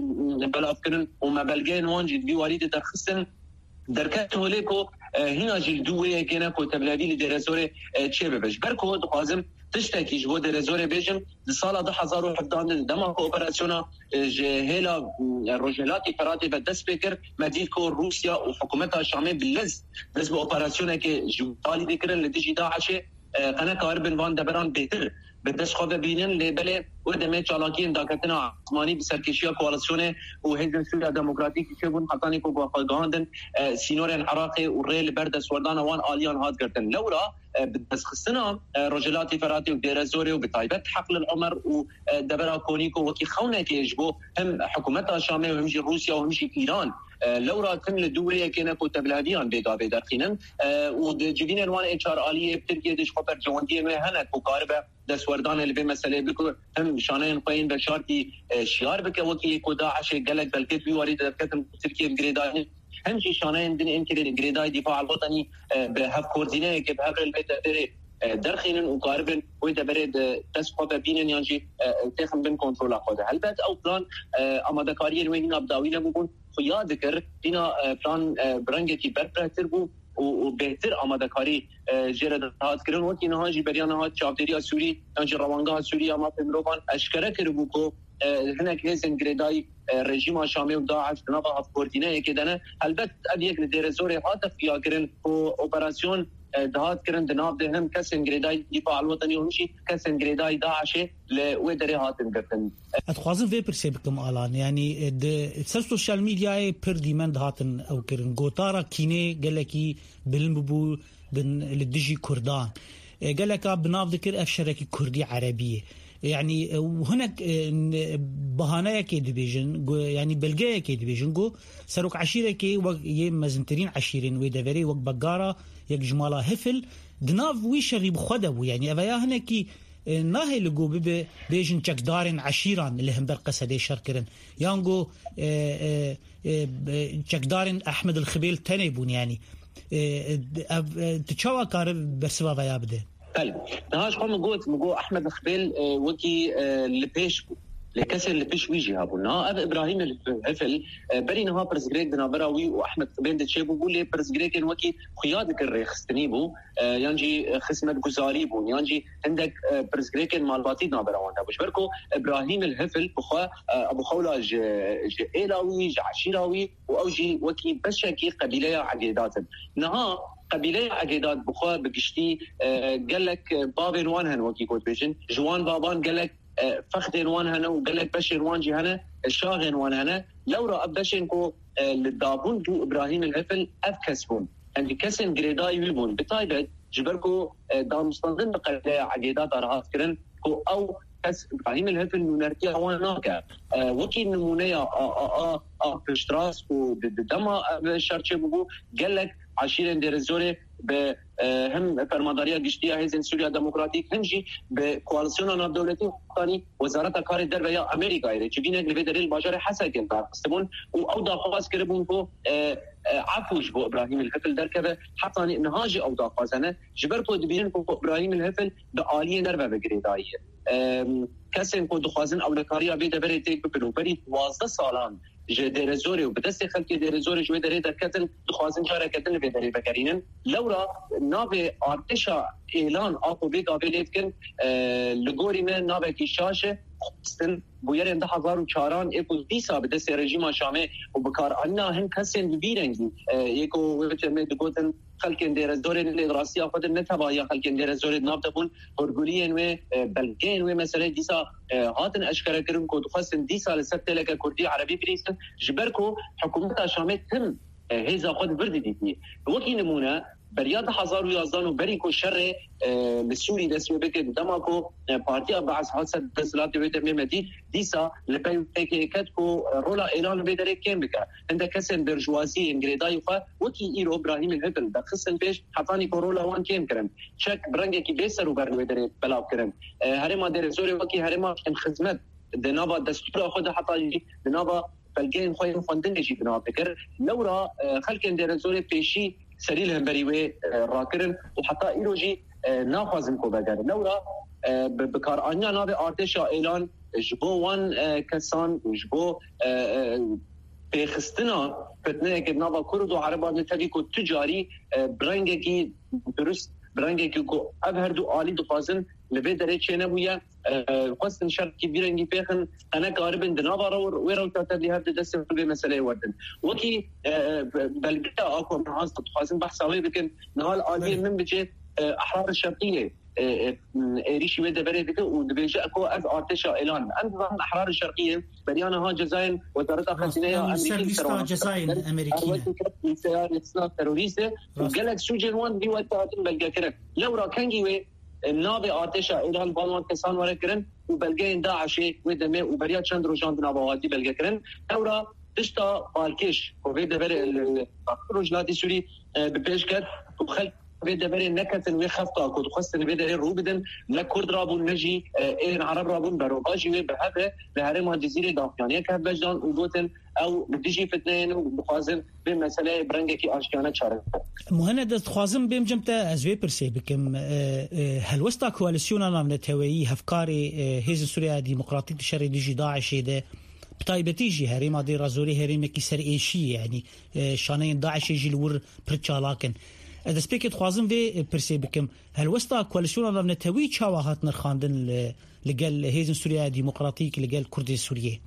belavkirin û me belgeyên wan jî di vî warî de derxistin. Derket holê ku, e, hîna jî li dû wê yekê ne ku tevlevî li Dêrezorê, e, çêbibe. Ji ber ku dixwazim tiştekî ji bo Dêrezorê bêjim, di sala du hezar û hevdehan de, di dema ku operasyona, e, ji hêla, e, Rojhilatî Feratê ve dest pê kir, me dît ku Rûsya û hikûmeta Şamê bi lez dest bi operasyonekê ji alî dikirin li dijî DAIŞê. e, qe nekaribin van deveran bêhtir bi dest xwe ve bînin, lê belê wê demê çalakiyên daketina esmanî bi serkêşiya koalîsyonê û Hêzên Sûriya Demokratîkî çêbûn, hetanî ku xwe gihandin, e, sînorên Iraqê û rê li ber destwerdana wan aliyan hat girtin. Lewra, e, bi destxistina, e, Rojhilatê Feratê û Dêrezorê û bi taybet Heql el Omer û, e, devera Konîko wekî xewnekê ji bo hem hikûmeta Şamê û hem jî Rûsya û hem jî Îran, e, lewra tim li dû wê yekê ne ku tevliheviyan bê gavê derxînin, e, û di civînên wan ê çar aliyê bi Tirkiyê de ji xwe berjewendiyên wê hene ku karibe destwerdanê li vê meseleyê bike, hem şaneyên xwe yên veşartî, e, şiyar bike, wekî yê ku DAIŞê gelek belkê di wî warî de derketin ku Tirkiye bi girêdayî, hem jî şaneyên din ên girê-, girêdayî Dîfa el-Wetenî, e, bi hevkoordîneyekê bi hev re li vê deverê, e, derxînin û karibin wê deverê di dest xwe ve bînin yan jî, e, têxin bin kontrola xwe de. Helbet ew plan, e, amadekariyên wê nîna bi dawî nebûbûn, xuya dikir, nîna, e, plan, e, bi rengekî berfirehtir bû û, û bêhtir amadekarî, e, jê re dihat kirin. Wekî niha jî beriya niha çavdêriya Sûrî yan jî Rewangeha Sûrî ya Mafê Mirovan eşkere kiribû ku, e, hinek hêzên girêdayî, e, rejîma Şamê û DAIŞ di nava hevkoordîneyekê de ne. Helbet ev yek li Dêrezorê hate xuya kirin ku operasyon, e, dihat kirin di nav de hem kesên girêdayî Dîfa el-Wetenî û hem jî kesên girêdayî DAIŞê li wê derê hatin girtin. Ez dixwazim vê pirsê bikim, Alan. Yanî, e, di ser sosyal medyayê pir dîmen dihatin ew kirin. Gotara kînê gelekî bilind bûbû din li dijî Kurdan. E, geleka bi nav dikir ev şerekî Kurdî Erebî ye. Yanî, e, û hinek, e, n-, bahaneyekê dibêjin, go-, yanî belgeyekê dibêjin, go serok eşîrekê wek yê mezintirîn eşîrên wê deverê, wek Begara, yek ji mala Hifil, di nav wî şerî bi xwe de bû. Yanî, ev ya hinekî, e, nahê li go bibe bêjin çekdarên eşîran li hember Qesedê şer kirin. Yan go, e, e, e, e, çekdarên Ehmed el Xibêl tenê bûn, yanî. E, e, ev, e, tu çawa kare bersiva veya bide? Belê. Niha ji xwe min got, min got Ehmed Xibêl, e, wekî, e, li pêş bû. Lê kesên li pêş wî jî hebûn. Niha ev Îbrahîm Hifil, e, berî niha pirsgirêk di navbera wî û Ehmed Xibêl de çêbûbû, lê pirsgirêkên wekî xuya dikir rêxistinî bû, e, yan jî, e, xizmetguzarî bûn, yan jî hindek, e, pirsgirêkên malbatî di navbera wan de bû. Ji ber ku Îbrahîm Hifil bi xwe, e, Ebu Xewla ji, ji êla wî, ji eşîra wî, û ew jî wekî beşekî qebîleya Egêdat in. Niha qebîleya Egêdat bi xwe bi giştî, e, gelek, e, bavên wan hene, wekî ku dibêjin. Ji wan bavan gelek, e, fexdên wan hene û gelek beşên wan jî hene, e, şaxên wan hene. Lewra ev beşên ku, e, li dabûn bû Îbrahîm el Hifil ev kes bûn. Em jî kesên girêdayî wî bûn. Bi taybet ji ber ku, e, danûstandin bi qebîleya Egêdat re hat kirin ku ew kes Îbrahîm el Hifil nûnertiya wan nake. E, wekî nimûneya a, a, a, a piştrast û di, di dema ev şer çêbûbû, gelek eşîrên Dêrezorê bi, e, hem Fermandariya Giştî ya Hêzên Sûriya Demokratîk, hem jî bi koalîsyona navdewletî, hetanî Wezareta Karê Derve ya Amerîkayê re civînek li vê derê li bajarê Hesekê li dar xistibûn û ew daxwaz kiribûn ku, e, e, efû ji bo Îbrahîm el Hifil derkeve, hetanî niha jî ew daxwaz hene, ji ber ku dibînin ku Îbrahîm el Hifil bi aliyên derve ve girêdayî ye. Em, kesên ku dixwazin ewlekariya vê deverê têk bibin û berî duwazdeh salan ji Dêrezorê û bi destê xelkê Dêrezorê ji wê derê derketin, dixwazin careke din li vê derê vegerînin. Lewra navê artêşa êlan a ku vê gavê lê dikin, e, li gorî me navekî şaş e, xwestin bûyerên du hezar û çaran ê ku dîsa bi destê rejîma Şamê û bikaranîna hin kesên bi vî rengî, e, yê ku wê demê digotin xelkên Dêrezorê lê di rastiya xwe de ne tevahiya xelkên Dêrezorê di nav de bûn, hûrguliyên wê, e, belgeyên wê meseleyê dîsa, e, hatin eşkere kirin ku dixwestin dîsa li ser têleke kurdî erebî binîsin, ji ber ku hikûmeta Şamê tim, e, hêza xwe di vir didîtî. Wekî nimûne, beriya du hezar û yazdeh û berî ku şerê, e, li Sûrî dest pê bike, di dema ku, e, Partiya Beas hat ser desthilatê wê demê me dît, dîsa li pey wê yekê ket ku, e, rola êlan li vê derê kêm bike. Hindek kesên berjwazî yên girêdayî xwe wekî îro Brahîmên Hifil derxistin pêş, hetanî ku rola wan kêm kirin. Çek bi rengekî bê ser û ber li wê derê belav kirin. E, herêma Dêrezorê wekî herêma xizmet di nava destûra xwe de heta jî di nava belgeyên xwe yên xwendinê jî binav dikir. Lewra, e, xelkên Dêrezorê pêşî serî li hemberî wê, e, rakirin û heta îro jî, e, naxwazin ku vegerin. Lewra, e, bi, bikaranîna navê artêşa êlan ji bo wan, e, kesan û ji bo, e, e, pêxistina fitneyeke di nava Kurd û Ereban de tevî ku tu carî, e, bi rengekî durust, bi rengekî ku ev her du alî dixwazin li vê derê çênebûye, e, xwestin şerkî vî rengî pêxin, qe nekaribin di nava re wê rewşa tevlî hev di destê xwe vê meseleyê werdin. Wekî, e, e, belgeya a ku em niha dixwazin behsa wê bikin, niha li aliyê min bicê, e, Ehrar Şerqiyê, e, e, êrîşî wê deverê dike û dibêje ku ev artêşa êlan. Em dizanin Ehrar Şerqiyê beriya niha cezayên Wezareta Xezîneya Amerîkî li ser wan. Cezayên Amerîkî ne. Seyarê sina terorîst e û gelek sûcên wan vî wextê hatin belgekirin. Lewra kengî wê, e, navê artêşa êlan van wan kesan were kirin û belgeyên DAIŞê wê demê û beriya çend rojan di nava hatî belgekirin. Lewra tişta balkêş ku vê deverê li, li Rojhilatê Sûrî, e, bi pêş ket û xelk vê deverê neketin wê xefta ku dixwestin vê derê rû bidin, ne Kurd rabûn, ne jî, e, êrên Ereb rabûn, berovajî wê bi hev e li herêma Cizîrê daxuyaniyek hevbeş dan û gotin, ew li dijî fitneyê ne û dixwazin vê meseleyê bi rengekî aştiyane çare bikin. Muhened, ez dixwazim bêm cem te, ez vê pirsê bikim. E, e, helwesta koalisyona navneteweyî, hevkarê, e, Hêzên Sûriya Demokratîk di şerê dijî DAIŞê de, bi taybetî jî herêma Dêra Zorê herêmekî ser êşî ye, yanî, e, şaneyên DAIŞê jî li wir pir çalak in. Ez destpêkê dixwazim vê, e, pirsê bikim. Helwesta koalisyona navnetewî çawa hat nirxandin li, li gel Hêzên Sûriya Demokratîk, li gel Kurdên Sûriyê?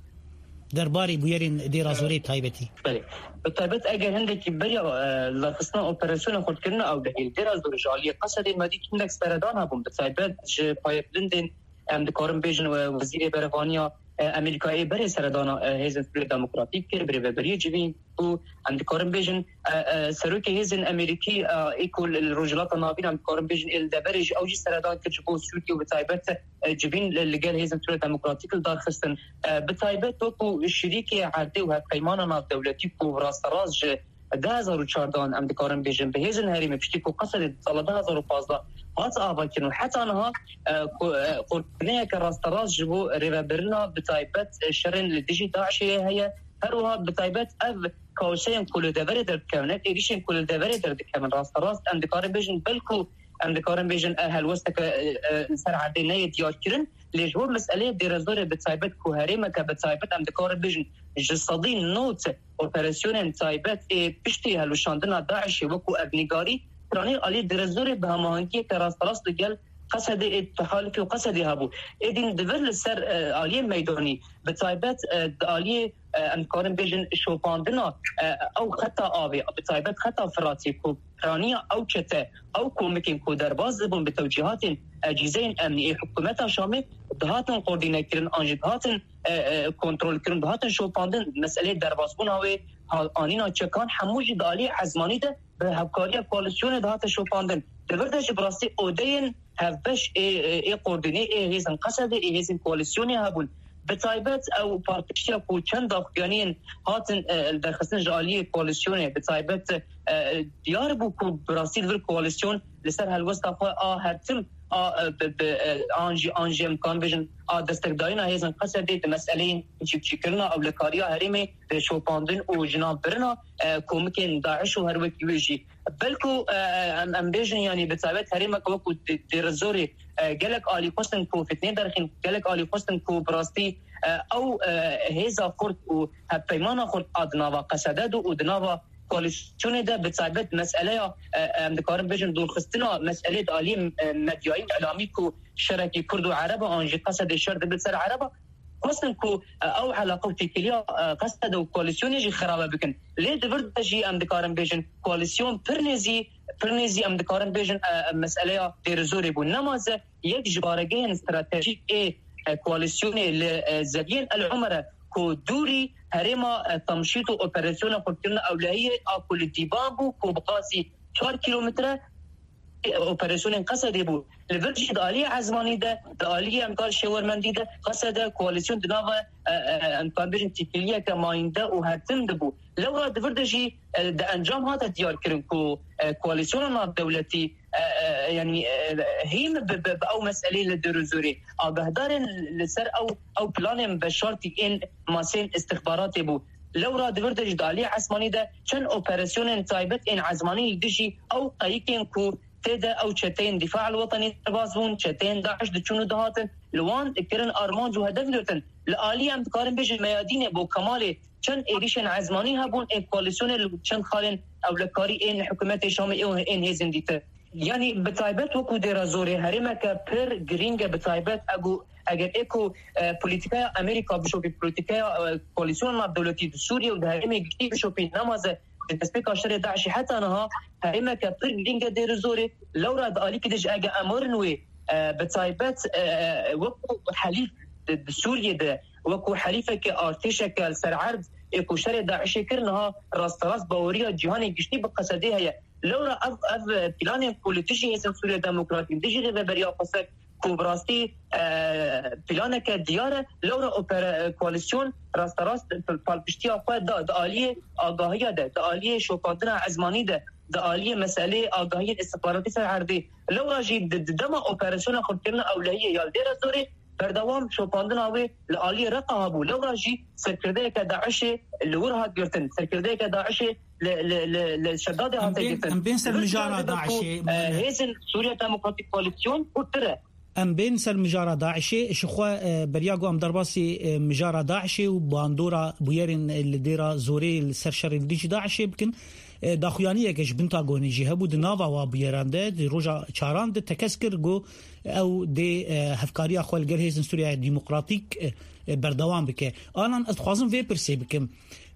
Derbarê bûyerên Dêra Zorê bi taybetî. Belê. Bi taybet eger hindekî beriya, e, li darxistina operasyona xurtkirina ew dehî li Dêra Zorê ji aliyê Qesedê me dît hindek seredan hebûn. Bi taybet ji payebilindên, em dikarin bêjin, e, wezîrê berevaniya, e, Amerîkayê berê seredana, e, Hêzên Sûriya Demokratîk kir, bi rêveberiyê civîn bû. Em dikarin bêjin, e, e, serokê hêzên Amerîkî, e, ê ku li, li Rojhilata Navîn, em dikarin bêjin ê li deverê jî, ew jî seredan kir ji bo Sûriyê û bi taybet, e, civîn li, li gel Hêzên Sûriya Demokratîk li dar xistin. E, bi taybet wekû şirîkê erdê û hevpeymana navdewletî ku rasterast ji du hezar û çardeh em dikarin bêjin bi hêzên herêmê piştî ku Qesedê di sala du hezar û pazdeh hat avakirin û heta niha, e, ku, e, qurbaniyeke rasterast ji bo rêvebirina bi taybet, e, şerên li dijî DAIŞê heye. Her wiha bi taybet ev kaoseyên ku li deverê derdikevin, ev êrîşên ku li deverê derdikevin, rasterast em dikarin bêjin, belku em dikarin bêjin, e, helwesteke, e, e, li ser erdê neyê diyarkirin, lê ji bo meseleyê Dêrezorê bi taybet ku herêmeke bi taybet em dikarin bêjin ji sedî nod operasyonên taybet ê piştî hilweşandina DAIŞê wekû erdnîgarî, piranî alî Dêrezorê bi hemahengiyeke rasterast li gel Qesedê ê tehalifê û Qesedê hebû. Êdî di vir li ser, e, aliyê meydanî bi taybet, e, di aliyê, e, em dikarin bêjin şopandina, e, ew xeta avê, bi taybet xeta Firatê ku piraniya ew çete, ew komikên ku derbas dibûn bi tewcîhatên, e, cîzeyên emnî ê hikûmeta Şamê dihatin koordînekirin an jî dihatin, e, e, kontrolkirin, dihatin şopandin. Meseleyê derbasbûna wê, ha-, anîna çekan hemû jî di aliyê ezmanî de bi hevkariya koalîsyonê dihate şopandin. Di vir de jî bi rastî odeyên hevbeş ê, ê, ê koordînê ê hêzên Qesedê, ê hêzên koalîsyonê hebûn. Bi taybet ew paqijtiya ku çend daxuyaniyên hatin, e, derxistin ji aliyê koalîsyonê, bi taybet, e, diyar bû ku bi rastî li vir koalîsyon li ser helwesta xwe a hertim, a, e, bi, bi, e, an jî, an jî em dikarin bêjin, a destekdarîna hêzên Qesedê di meseleyên çîkçîkirina ewlekariya herêmê, e, şopandin û jinanbirina, e, komikên DAIŞ û her wekî wê jî. Belku, e, em, em bêjin, yanî bi taybet herêmeke wekû Dê-, Dêrezorê, e, gelek alî xwestin ku fitnê derxîn, gelek alî xwestin ku bi rastî, e, ew, e, hêza xurt û hevpeymana xurt a di nava Qesede de û di nava koalîsyonê de bi taybet meseleya, e, em dikarin bêjin dûrxistina meselê di alî, e, medyayî û îlamî ku şerekî Kurd û Ereb e, an jî Qesedê şer dibe ser Ereb e, xwestin ku, e, ew eleqe û têkiliya, e, Qesede û koalîsyonê jî xerabe bikin. Lê di vir de jî em dikarin bêjin koalîsyon pir nêzî, pir nêzî em dikarin bêjin, e, e, meseleya Dêrizorê bû. Nemaze yek ji baregehên stratejîk ê, e, koalîsyonê li, e, zeviyên El Umere ku dûrî herêma, e, Tamşît û operasyona xurtkirina ewlehiyê a ku li Dîban bû ku bi qasî çar kîlometre, e, operasyonên Qesedê bû. Li vir jî di aliyê ezmanî de, di aliyê em kar şêwermendî de, Qesede koalîsyon di nava, e, e, em dikarin bêjin têkiliyeke mayînde û hertim de bû. Lewra di vir de jî, e, di encam hate diyarkirin ku, e, koalîsyona navdewletî, e, e, yanî, e, hîn bi, bi, bi ew meseleyê li Dêrozorê agahdarên li ser ew, ew planên veşartî ên masên îstixbaratê bû. Lewra di vir de jî di aliyê ezmanî de çend operasyonên taybet ên ezmanî li dijî ew qeyikên ku tê de ew çeteyên Dîfa el Wetenî derbas bûn, çeteyên DAIŞ diçûn û dihatin, li wan kirin armanc û hedef girtin. Li aliyê em dikarin bêjin meyadînê bo Kemalê çend êrîşên ezmanî hebûn ên koalîsyonê li çend xalên ewlekarî ên hikûmetê Şamê ên hêzên dîtir. Yanî bi taybet wekû Dêra Zorê herêmeke pir girîng e, bi taybet egu, eger ê ku, e, polîtîkaya Amerîka bişopî, polîtîkaya, e, koalîsyona navdewletî di Sûriyê û di herêmê giştî bişopî, nemaze di destpêka şerê DAIŞê heta niha herêmeke pir girîng e Dêra Zorê. Lewra di alîkî de jî ege em werin wê e, bi taybet, e, wekû helîf di, di Sûriyê de, wekû helîfeke artêşeke li ser erd ê ku şerê DAIŞê kir, niha rasterast baweriya cîhanê giştî bi qesedê heye. Lewra ev, ev planên ku li dijî Hêzên Sûriya Demokratîk, dijî Rêveberiya Xweser ku bi rastî, e, planeke diyar e, lewra opera-, e, koalîsyon rasterast p-, palpiştiya xwe da di aliyê agahiya de, di aliyê şopandina ezmanî de, di aliyê meselê agahiyên istixbaratî ser erdê. Lewra jî di, di dema operasyona xurtkirina ewlehiyê ya li Dêra Zorê berdewam şopandina wê li aliyê Reqa hebû. Lewra jî serkirdeyeke DAIŞê li wir hat girtin. Serkirdeyeke DAIŞê li, li, li, li Şedadê Em hate bên, girtin. Em bên ser Vê mijara diyar dibe ku, DAIŞê, e, Muhammed. Hêzên Sûriya Demokratîk Koalîsyon xurttir e. Em bên ser mijara DAIŞê, ji xwe, e, beriya ku em derbasî, e, mijara DAIŞê û bandora bûyerên, e, li Dêra Zorê li ser şerê li dijî DAIŞê bikin, e, daxuyaniyeke ji Pentagonê jî hebû di nava wa bûyeran de, di roja çaran de tekez kir ku ew dê, e, hevkariya xwe li gel Hêzên Sûriya Demokratîk, e, e, berdewam bike. Anan ez dixwazim vê pirsê bikim.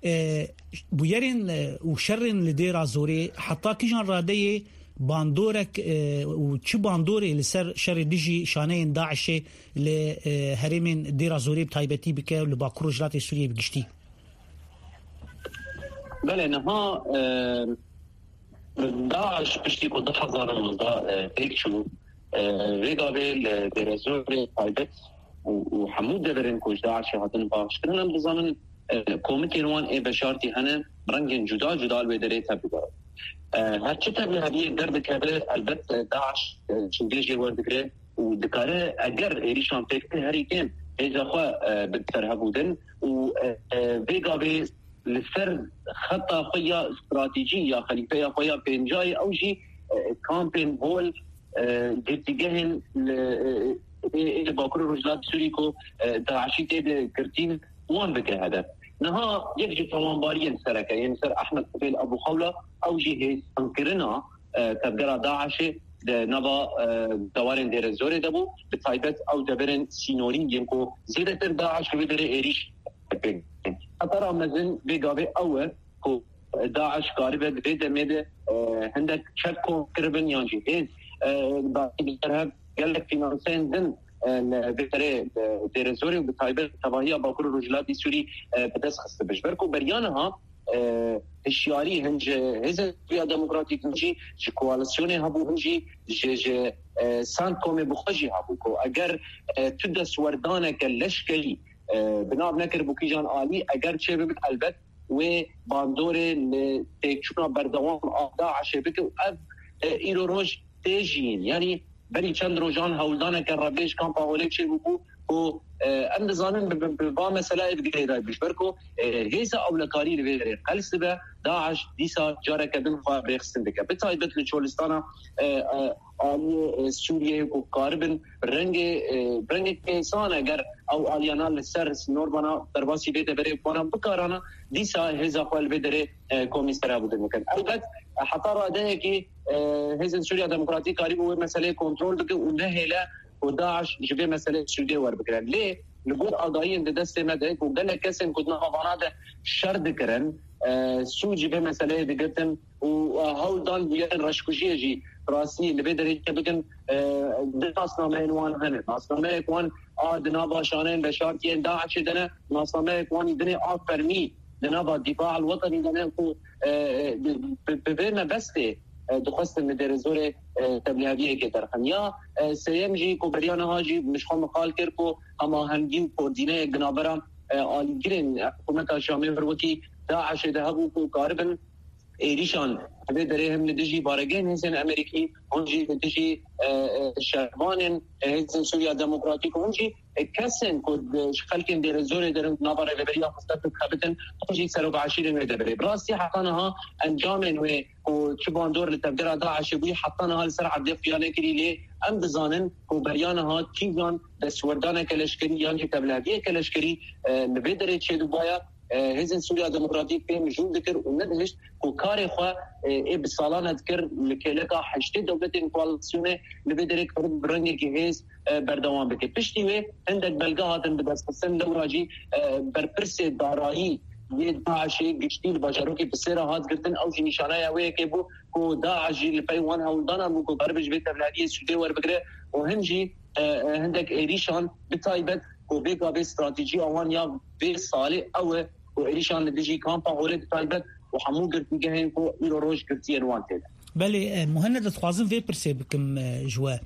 E, bûyerên, e, û şerên li Dêra Zorê heta kîjan radeyê bandorek, e, û çi bandorê li ser şerê dijî şaneyên DAIŞê li, e, herêmên Dêra Zorê bi taybetî bike û li Bakur Rojhilatê Sûriyê bi giştî? Belê, niha, e, DAIŞ piştî ku du hezar û nozdeh, e, pêk çû, e, vê gavê li Dêrezorê taybet û, û hemû deverên ku ji DAIŞê hatin paqijkirin, em dizanin, e, komitên wan ê veşartî hene, rengên cuda cuda li wê derê tevlî dayîn. E, her çi tevlî heviyê derdikeve, elbet, e, DAIŞ, e, çingê jê werdigire û dikare, eger êrîşan pêk tê, herî kêm hêza xwe, e, bide ser hevûdin û, e, e, vê gavê li ser xeta xwe ya stratejî ya xelîfeya xwe ya pêncayê ew jî, e, kampên hol, e, girtîgehên li, e, ê, ê li Bakur û Rojhilat Sûrî ku, e, DAIŞî tê de girtîn, wan bike hedef. Niha yek ji tawanbariyên sereke yên ser Ehmed Tufêl Ebû Xewla, ew jî hêsankirina, e, tevgera DAIŞê di nava, e, dewarên Dêrezorê de bû, bi taybet ew deverên sînorî yên ku zêdetir DAIŞ li wê derê êrîş pêk dikin. Xetera mezin vê gavê ew e ku DAIŞ karibe di vê demê de, e, hindek çek kom kiribin yan jî hêz, e, dayî bi ser hev gelek fînanseyên din, e, li vê derê, e, Dêrezorê û bi taybet tevahiya Bakur û Rojhilatî Sûrî, e, bi dest xistibe. Ji ber ku beriya niha, e, hişyarî hin ji Hêzên Sûriya Demokratîk, hin jî ji koalîsyonê hebû, hin jî ji, ji, e, Sentkomê bi xwe jî hebû ku eger, e, tu destwerdaneke leşkerî, e, bi nav nekiribû kîjan alî, eger çêbibit, elbet wê bandorê li têkçûna berdewam a DAIŞê bike û ev, e, îro roj tê jiyîn. Yanî berî çend rojan hewldaneke revê ji kampa holê çêbûbû ku, e, em dizanin bi, bi, bi va meseleyê bi girêdayî bû. Ji ber ku, e, hêza ewlekarî li vê derê qels dibe, DAIŞ dîsa careke din xwe rêxistin dike. Bi taybet li Çolistana, e, e, aliyê, e, Sûriyeyê ku karibin rengê, e, rengê kêsan eger ew aliyana li ser sînorbana derbasî vê deverê wana bikarana, dîsa hêza xwe li vê derê, e, komî serhevdin bikin. Elbet, e, heta radeyekî, e, Hêzên Sûriya Demokratîk karîbû wê meseleyê kontrol bike û nehêle ku DAIŞ ji vê meseleyê sûdê werbigire. Lê li gor agahiyên di destê me de ku gelek kesên ku di nava vana de şer dikirin, e, sûd ji vê meseleyê digirtin û, e, hewl dan bûyerên reşkujiyê jî bi rastî li vê derê çêbikin, e, di nasnameyên wan hene. Nasnameyek wan a di nava şaneyên veşartiyên DAIŞê de ne, nasnameyek wan dinê a fermî di nava Dîfa el Wetenî de ne ku, e, e, bi, bi, bi vê mebestê, e, dixwestin li Dêrezorê, e, tevliheviyekê derxin. Ya, e, sêyem jî ku beriya niha jî min ji xwe mixal kir ku hemahengî û koordîneyek di navbera, e, alîgirên hikûmeta Şamê wir wekî DAIŞê de hebû ku karibin êrîşan vê derê him li dijî baregehên hêzên Amerîkî, him jî li dijî, e, e, şervanên, e, Hêzên Sûriya Demokratîk, him jî, e, kesên ku di, ji xelkên Dêrezorê derin nava rêveberiya xwe ser dixebitin, him jî serok eşîrên wê deverê. Bi rastî heta niha encamên wê ku çi bandor li tevgera DAIŞê bûyî, heta niha li ser erdê xuya nekirî, lê em dizanin ku beriya niha kîjan destwerdaneke leşkerî yan jî tevliheviyeke leşkerî, e, li vê derê çêdibûbaya, e, Hêzên Sûriya Demokratîk pê mijûl dikir û nedihişt ku karê xwe, e, ê bi salan e dikir li kêleka heştê dewletên koalîsyonê li vê derê karib bi rengekî hêz, e, berdewam bike. Piştî wê hindek belge hatin bi destxistin, lewra jî, e, berpirsê darayî yê DAIŞê giştî li bajarokê Bisêra hat girtin. Ew jî nîşanaya wê yekê bû ku DAIŞ jî li pey wan hewldanan bû ku karibe ji vê tevliheviyê sûdê werbigire. û hin jî, e, e, hindek êrîşan bi taybet ku vê gavê stratejiya wan ya vê salê ew e ku êrîşan li dijî kampa holê bi taybet û hemû girtîgehên ku îro roj girtiyên wan tê de. Belê, e, Muhenned, dixwazim vê pirsê bikim, e, ji we.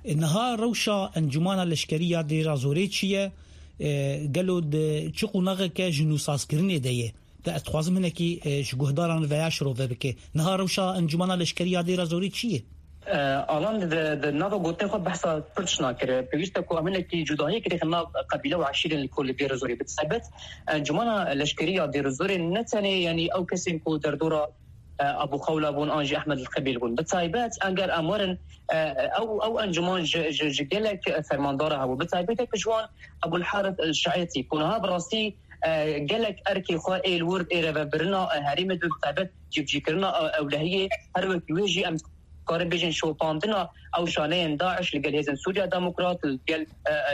E, niha rewşa encûmana leşkerî ya Dêra Zorê çi ye? E, gelo di çi qonaxeke ji nûsazkirinê de ye? Te ez dixwazim hinekî, e, ji guhdaran veya şirove bike. Niha rewşa encûmana leşkerî ya Dêra Zorê çi ye? E, Alan di, di nava gotinê xwe behsa pir tişt nakir. Pêwîst e ku em hinekî cudahiyekê dixin nav qebîle û eşîrên li ku li Dêra Zorê. Bi taybet encûmana leşkerî ya Dêra Zorê ne tenê, yanî ew kesên ku derdora, e, Ebû Xewla bûn an jî Ehmed Qebîl bûn. Bi taybet eger em werin, e, ew, ew encûman ji, ji, ji gelek fermandara hebû. Bi taybet yek ji wan Ebûl Harith El Şaetî ku niha bi rastî, e, gelek erkê xwe ê li wir ê rêvebirina, e, herêmê di taybet cîbicîkirina, e, ewlehiyê, her wekî wê jî em karin bêjin şopandina ew şaneyên DAIŞ li gel Hêzên Sûriya Demokrat, li gel,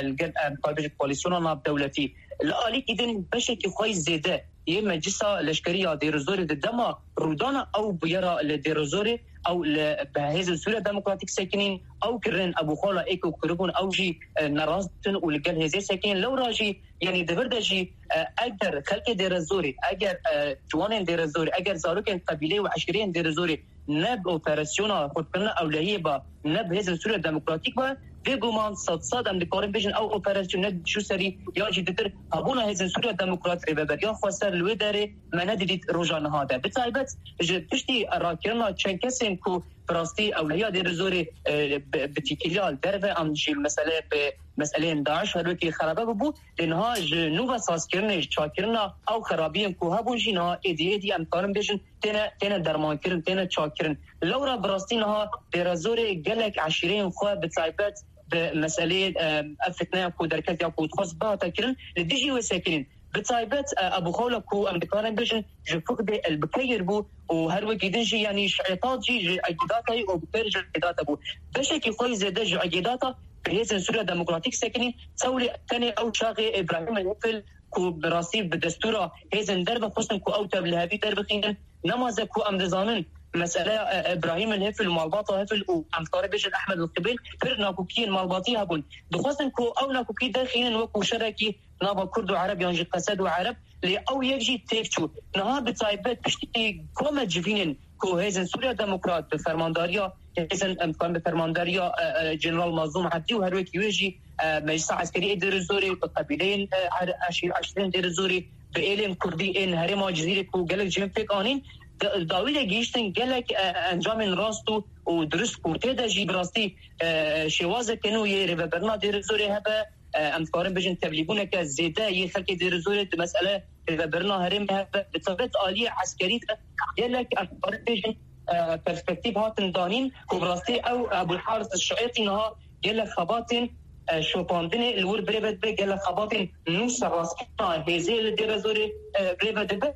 e, li gel, em karin bêjin koalîsyona navdewletî. Li alîkî din beşekî xwe yî zêde yê Meclisa Leşkerî ya Dêrizorê di dema rûdana ew bûyera li Dêrizorê, ew li bi Hêzên Sûriya Demokratîk sekinîn, ew kirin Ebû Xewla ê ku kiribûn, ew jî, e, nerast ditin û li gel hêzê sekinîn. Lewra jî, yanî di vir de jî, e, eger xelkê Dêrizorê, eger, e, ciwanên Dêrizorê, eger zarokên qebîleyê û eşîreyên Dêrizorê ne bi operasyona xurtkirina ewlehiyê ba, ne bi Hêzên Sûriya Demokratîk ba, bêguman sed sed em dikarin bêjin ew operasyon ne çû serî, yan jî ditir hebûna Hêzên Sûriya Demokrat rêveberiya xweser li wê derê me nedidît roja niha de. Bi taybet ji piştî rakirina çend kesên ku bi rastî ewlehiya Dêrizorê, e, bi, bi tîkiliya li derve an jî mesele bi meseleyên DAIŞ her wekî xerabe bibû, lê niha ji nû ve sazkirinê, ji çakirina ew xerabiyên ku hebûn jî niha êdî êdî em karin bêjin têne, têne dermankirin, têne çakkirin. Lewra bi rastî niha Dêrezorê gelek eşîreyên xwe bi taybet bi meseleyê, e, ev fitneya ku derketiya ku dixwest bihate kirin, li dijî wê sekinîn. Bi taybet, e, Ebû Xewla ku em dikarin bêjin ji fiqdê elbikeyir bû û her wekî din jî, yanî ji Îtat jî ji Egîdatayî û bi pêr ji Egîdata bû. Beşekî xwe yî zêde ji Egîdata bi Hêzên Sûriya Demokratîk sekinîn, tewlê tenê ew çaxê Îbrahîm El Hifil ku bi rastî bi destûra hêzên derve xwestin ku ew tev li hevî derbixînin. Nemaze ku em dizanin meseleya, e, Îbrahîm El Hifil û malbata Hifil û em dikarin bêjin Ehmed El Qibêl pir nakokiyên malbatî hebûn. Dixwestin ku ew nakokî derxînin wekû şerekî nava Kurd û Ereb yan jî Qesed û Ereb, lê ew yek jî têk çû. Niha bi taybet piştî kome civînên ku Hêzên Sûriya Demokrat bi fermandariya hêzên, em dikarin bi fermandariya, e, e, General Mazlûm Ebdî û her wekî wê jî, e, Meclisa Eskerî ê Dêrizorê bi qebîleyên, e, er-, eşîr-, eşîrên Dêrizorê bi êlên Kurdî ên herêma Cizîrê ku gelek cihên pêk anîn, da-, dawî de gihîştin gelek, e, encamên rast û, û dirust ku tê de jî bi rastî, e, şêwazeke nû yê rêvebirina Dêrizorê hebe, e, em dikarin bêjin tevlîbûneke zêde yê xelkê Dêrizorê di mesele rêvebirina herêmê hebe, bi taybet aliyê eskerî de gelek em dikarin bêjin, e, perspektîf hatin danîn ku bi rastî ew Ebûl Haris Şietî niha gelek xebatên, e, şopandinê li wir birêve dibe, gelek xebatên nû serrastkirina hêzê li Dêrezorê, e, birêve dibe.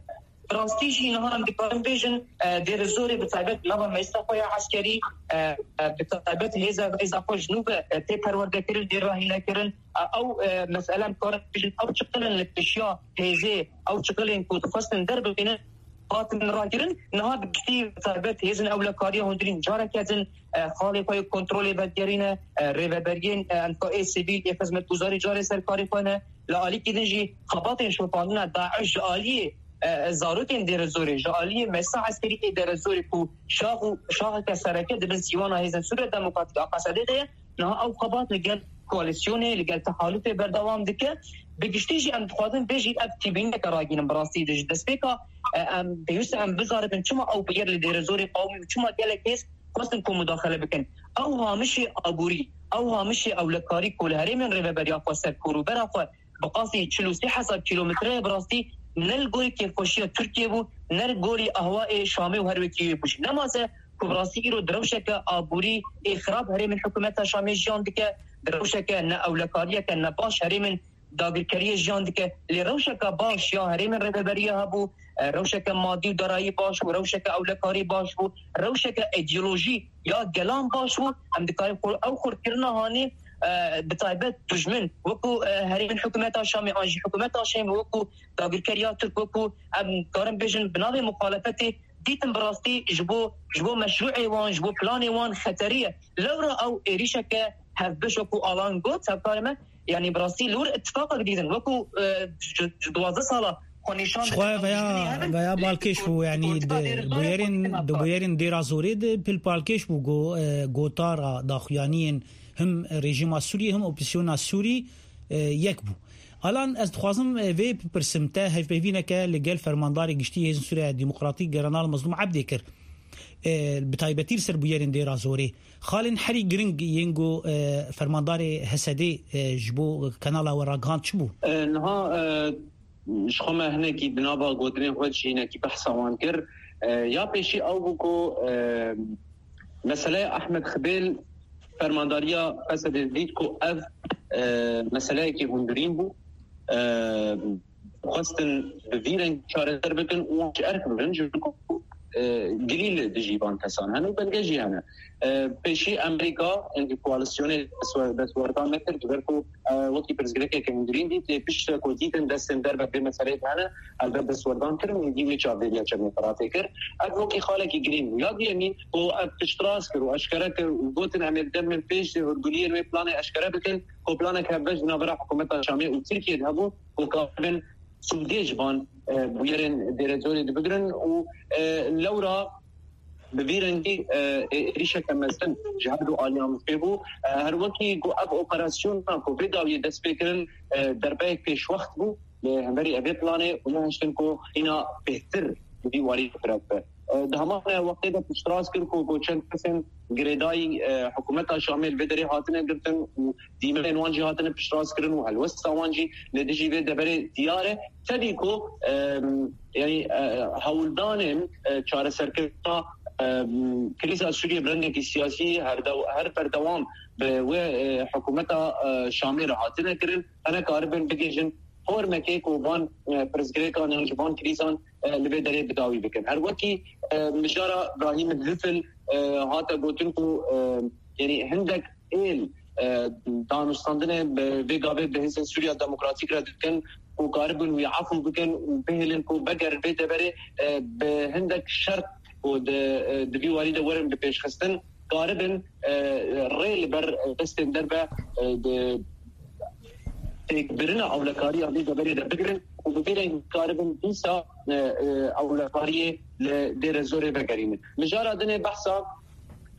Bi rastî jî niha em dikarin bêjin, e, Dêrezorê bi taybet nava meclisa xwe ya eskerî, e, e, bi taybet hêza, hêza xwe ji nû ve, e, tê perwerdekirin, tê rahînekirin. E, ew, e, mesele em karin bêjin, ew çiqilên li pêşiya hêzê, ew çiqilên ku dixwestin derbixînin, hatin rakirin. Niha bi giştî bi taybet hêzên ewlekariya hundirîn careke din, e, xalê xwe yê kontrolê vedigerîne, e, rêveberiyên, e, em ka ê sivîl, ê xizmetguzarî carê ser karê xwe ne. Li alîkî din jî xebatên şopandina DAIŞ ji aliyê, e, zarokên Dêrezorê, ji aliyê meclisa eskerî ê Dêrezorê ku şax û şaxeke sereke di bin sîwana Hêzên Sûriya Demokratîk a Qesedê de ye, niha ew xebat li gel koalîsyonê, li gel tehalûfê berdewam dike. Bi giştî jî em dixwazin vê jî ev tîbîneke ragînin bi rastî de ji destpêka, e, em pêwîst e em bizanibin çima ew bûyer li Dêrezorê qewimî û çima gelek hêz xwestin ku mudaxele bikin. Ew hamişê aborî, ew hamişê ewlekarî ku li herêmên rêveberiya xweser ku rûbera xwe bi qasî çil û sê hezar kîlometre ye, bi rastî ne li gorî kêfxweşiya Tirkiyê bû, ne li gorî ahwayê Şamê û her wekî wê bû jî. Nemaze ku bi rastî îro di rewşeke aborî ê xirab herêmên hikûmeta Şamê jiyan dike, di rewşeke ne ewlekariyeke ne baş herêmên dagirkeriyê jiyan dike. Lê rewşeke baş ya herêmên rêveberiya hebû, e, rewşeke madî û darayî baş bû, rewşeke ewlekarî baş bû, rewşeke îdeolojî ya gelan baş bû. Em dikarin xwe-, ew xurtkirina hanê, e, bi taybet dijmin, wekû, e, herêmên hikûmeta Şamê an jî hikûmeta Şamê, wekû dagirkeriya Tirk, wekû em karin bêjin bi navê muxalefetê dîtin bi rastî ji bo, ji bo meşrûê wan, ji bo planê wan xeterî ye. Lewra ew êrîşeke hevbeş wekû Alan got, hevkarê me, yanî bi rastî li wir îtifaqek dîtin. Wekû, e, ji, ji duwazdeh sala xwe nîşan didin, veya, veya balkêş bû, yanî di bûyerên, di bûyerên Dêra Zorê de pil balkêş bû, go, e, gotara daxuyaniyên him rejîma Sûriyê, him opozîsyona Sûrî, e, yek bû. Alan, ez dixwazim, e, vê bipirsim te, hevpeyvîneke li gel Fermandarê Giştî Hêzên Sûriya Demokratîk General Mezlûm Ebdê kir. E, bi taybetî li ser bûyerên Dêra Zorê. Xalên herî giring yên ku, e, Fermandarê H S D'ê, e, ji bo kanala we ragihand çi bû? E, niha, e, ji xwe me hinekî di nava gotinên xwe de jî hinekî behsa wan kir. E, ya pêşî ew bû ku, e, meseleya Ahmed Xibêl fermandariya H S D'ê dît ku ev, e, meseleyekî hundirîn bû. E, xwestin bi vî rengî çareser bikin û wan ji erk bibin, ji ber ku, e, gilî li dijî van kesan hene û belge jî hene. E, pêşî Amerîka, yanî koalîsyonê destwer-, destwerdan nekir, ji ber ku, e, wekî pirsgirêkeke hundirîn dît, lê piştre ku dîtin destên derve vê meseleyê de hene, helbet destwerdan kirin û dî wê çavdêriya çemê Firatê kir. Ev wekî xalekî girîng bû. Ya duyemîn ku ev piştrast kir û eşkere kir û gotin, em ê di demên pêş de hûrguliyên wê planê eşkere bikin, ku planek hevbeş di navbera hikûmeta Şamê û Tirkiyê de hebû, ku karibin sûdê ji van, e, bûyerên Dêrezorê dibigirin û, e, lewra bi vî rengî, e, ê-, êrîşeke mezin ji her du aliyan pê bû. E, her wekî ku ev operasyona ku vê dawiyê dest pê kirin, e, derbeyek pêşwext bû li hemberî evê planê û nehiştin ku hîna bêhtir bi vî warî firaq be. E, di heman wextê de piştrast kir ku, ku çend kesên girêdayî, e, hikûmeta Şamê li vê derê hatine girtin û dîmenên wan jî hatine piştrast kirin û helwesta wan jî li dijî vê deverê diyar e. Tevî ku, e, yanî, e, hewldanên, e, çareserkirina, e, krîza Sûriyê bi rengekî siyasî her dew-, her berdewam bi wê, e, hikûmeta, e, Şamê re hatine kirin, hene karibin bigihîjin formekê ku van, e, pirsgirêkan yan ji van krîzan, e, li vê derê bi dawî bikin. Her wekî, e, mijara Brahîm Lifil, e, hate gotin ku, e, yanî hindek êl, e, danûstandinê bi vê gavê bi Hêzên Sûriya Demokratîk re dikin ku karibin wî efû bikin û bihêlin ku vegerin vê deverê, e, bi hindek şert ku di, e, di vî warî de werin bipêşxistin, karibin, e, rê li ber destên derve, e, di têkbirina ewlekariya vê deverê de bigirin û bi vî rengî karibin dîsa, e, e, ewlekariyê li Dêre Zorê vegerînin. Mijara dinê behsa,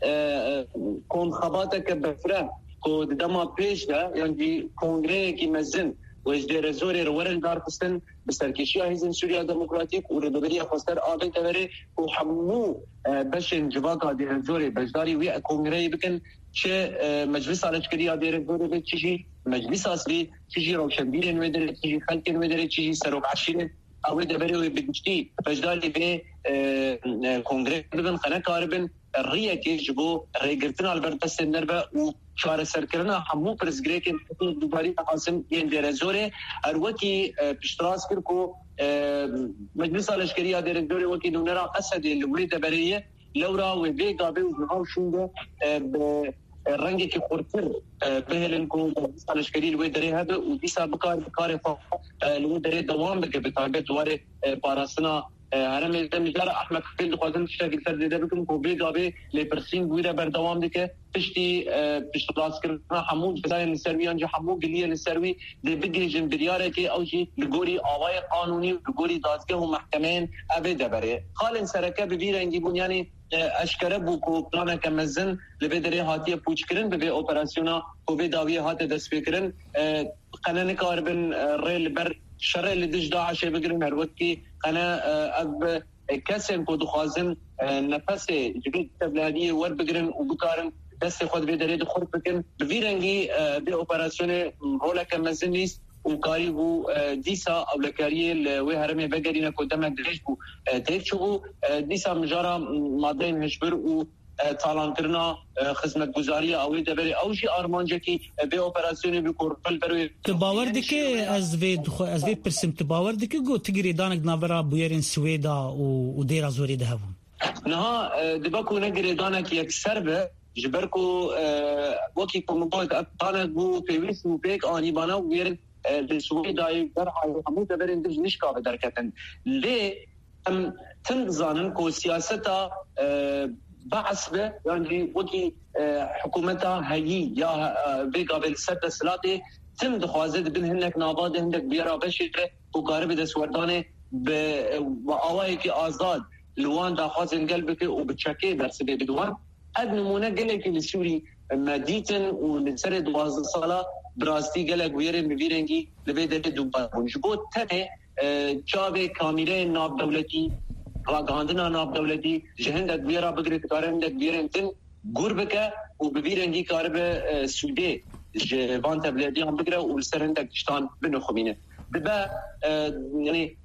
e, e, konxebateke bifre ku di dema pêş de yan jî kongreyekî mezin wê ji Dêre Zorê re werin darxistin bi serkêşiya Hêzên Sûriya Demokratîk û Rêveberiya Xweser a vê deverê ku hemû, e, beşên civaka Dêrezorê beşdarî wî kongreyê bikin, çi, e, Meclisa Leşkerî ya Dêrezorê be, çi jî Meclisa Sivîl, çi jî rewşenbîrên wê derê, çi jî xelkên wê derê, çi jî serok eşîrên a wê deverê wê bi giştî beşdarî vê, e, e, kongreyê bibin, xwe nekaribin riyekê ji bo rêgirtina li ber destên derve û çareserkirina hemû pirsgirêkên dubarî dixwazin yên Dêrezorê. Her wekî, e, piştrast kir ku, e, Meclisa Leşkerî ya Dêrezorê wekî nûnera Esedê li wê deverê ye. Lewra wê vê gavê û niha û şûnde, e, bi rengekî xurtir, e, bihêlin ku Meclisa Leşkerî li wê derê hebe û dîsa bikar-, bi karê xwe, e, li wê derê dewam bike, bi taybet warê, e, parastina e, herêmê de. Mijara Ahmed Xifêl dixwazin tiştekî li ser zêde bikin ku vê gavê lêpirsîn wî re berdewam dike. Piştî, e, piştrastkirina hemû cezayên li ser wî yan jî hemû giliyên li ser wî dê bigihîjin biryarekê, ew jî li gorî awayê qanûnî û li gorî dadgeh û mehkemeyên evê deverê. Xalên sereke bi vî rengî bûn, yanî, e, eşkere bû ku planeke mezin li vê derê hatiye pûçkirin bi vê operasyona ku vê dawiyê hate destpêkirin. E, qene nikaribin, e, rê li ber şerê li dij DAIŞê bigirin, her wekî qene, e, ev, e, kesên ku dixwazin, e, nefesê ji vê tevliheliyê werbigirin û bikarin destê xwe di vê derê de xurt bikin. Bi vî rengî, e, vê operasyonê roleke mezin lîst û karî bû, e, dîsa ewlekariyê li wê herêmê vegerîne ku demek dirêj bû, e, têk çûbû. E, dîsa mijara madeyên hişbir û e, talankirina, e, xizmetguzariya ew ê deverê, ew jî armancekî, e, vê operasyonê bû ku rol ber wê. Tu bawer dikî, ez vê dixwe-, ez vê pirsim, tu bawer dikî ku tu girêdanek di navbera bûyerên Swêda û, û Dêra Zorê de hebûn? Niha, e, dibe ku ne girêdanek yekser be, ji ber ku, e, wekî ku min got, ev planek bû pêwîst û pêk anî bana û bûyerên, e, li Swêdayê, Derhayê, hemû deverên din ji nişka ve derketin. Lê em tim dizanin ku siyaseta, e, Be'es be, yan jî wekî, e, hikûmeta heyî ya, e, vê gavê li ser desthilatê tim dixwaze di bin hinek nava de, hinek bûyera beşê de ku karibe destwerdanê bi, e, bi awayekî azad li wan daxwazên gel bike û bi çekê bersivê bide wan. Ev nimûne gelekî li Sûrî me dîtin û li serê duwazdeh sala bi rastî gelek bûyerên bi vî rengî li vê derê dûbar bûn. Ji bo tenê, e, çavê kamîreyên navdewletî, ragihandina navdewletî ji hindek bûyera bigire dikare hindek bûyerên din gûr bike û bi vî rengî karibe, e, sûdê ji van tevlihediyan bigire û li ser hindek tiştan binixumîne. Dibe, e, yanî,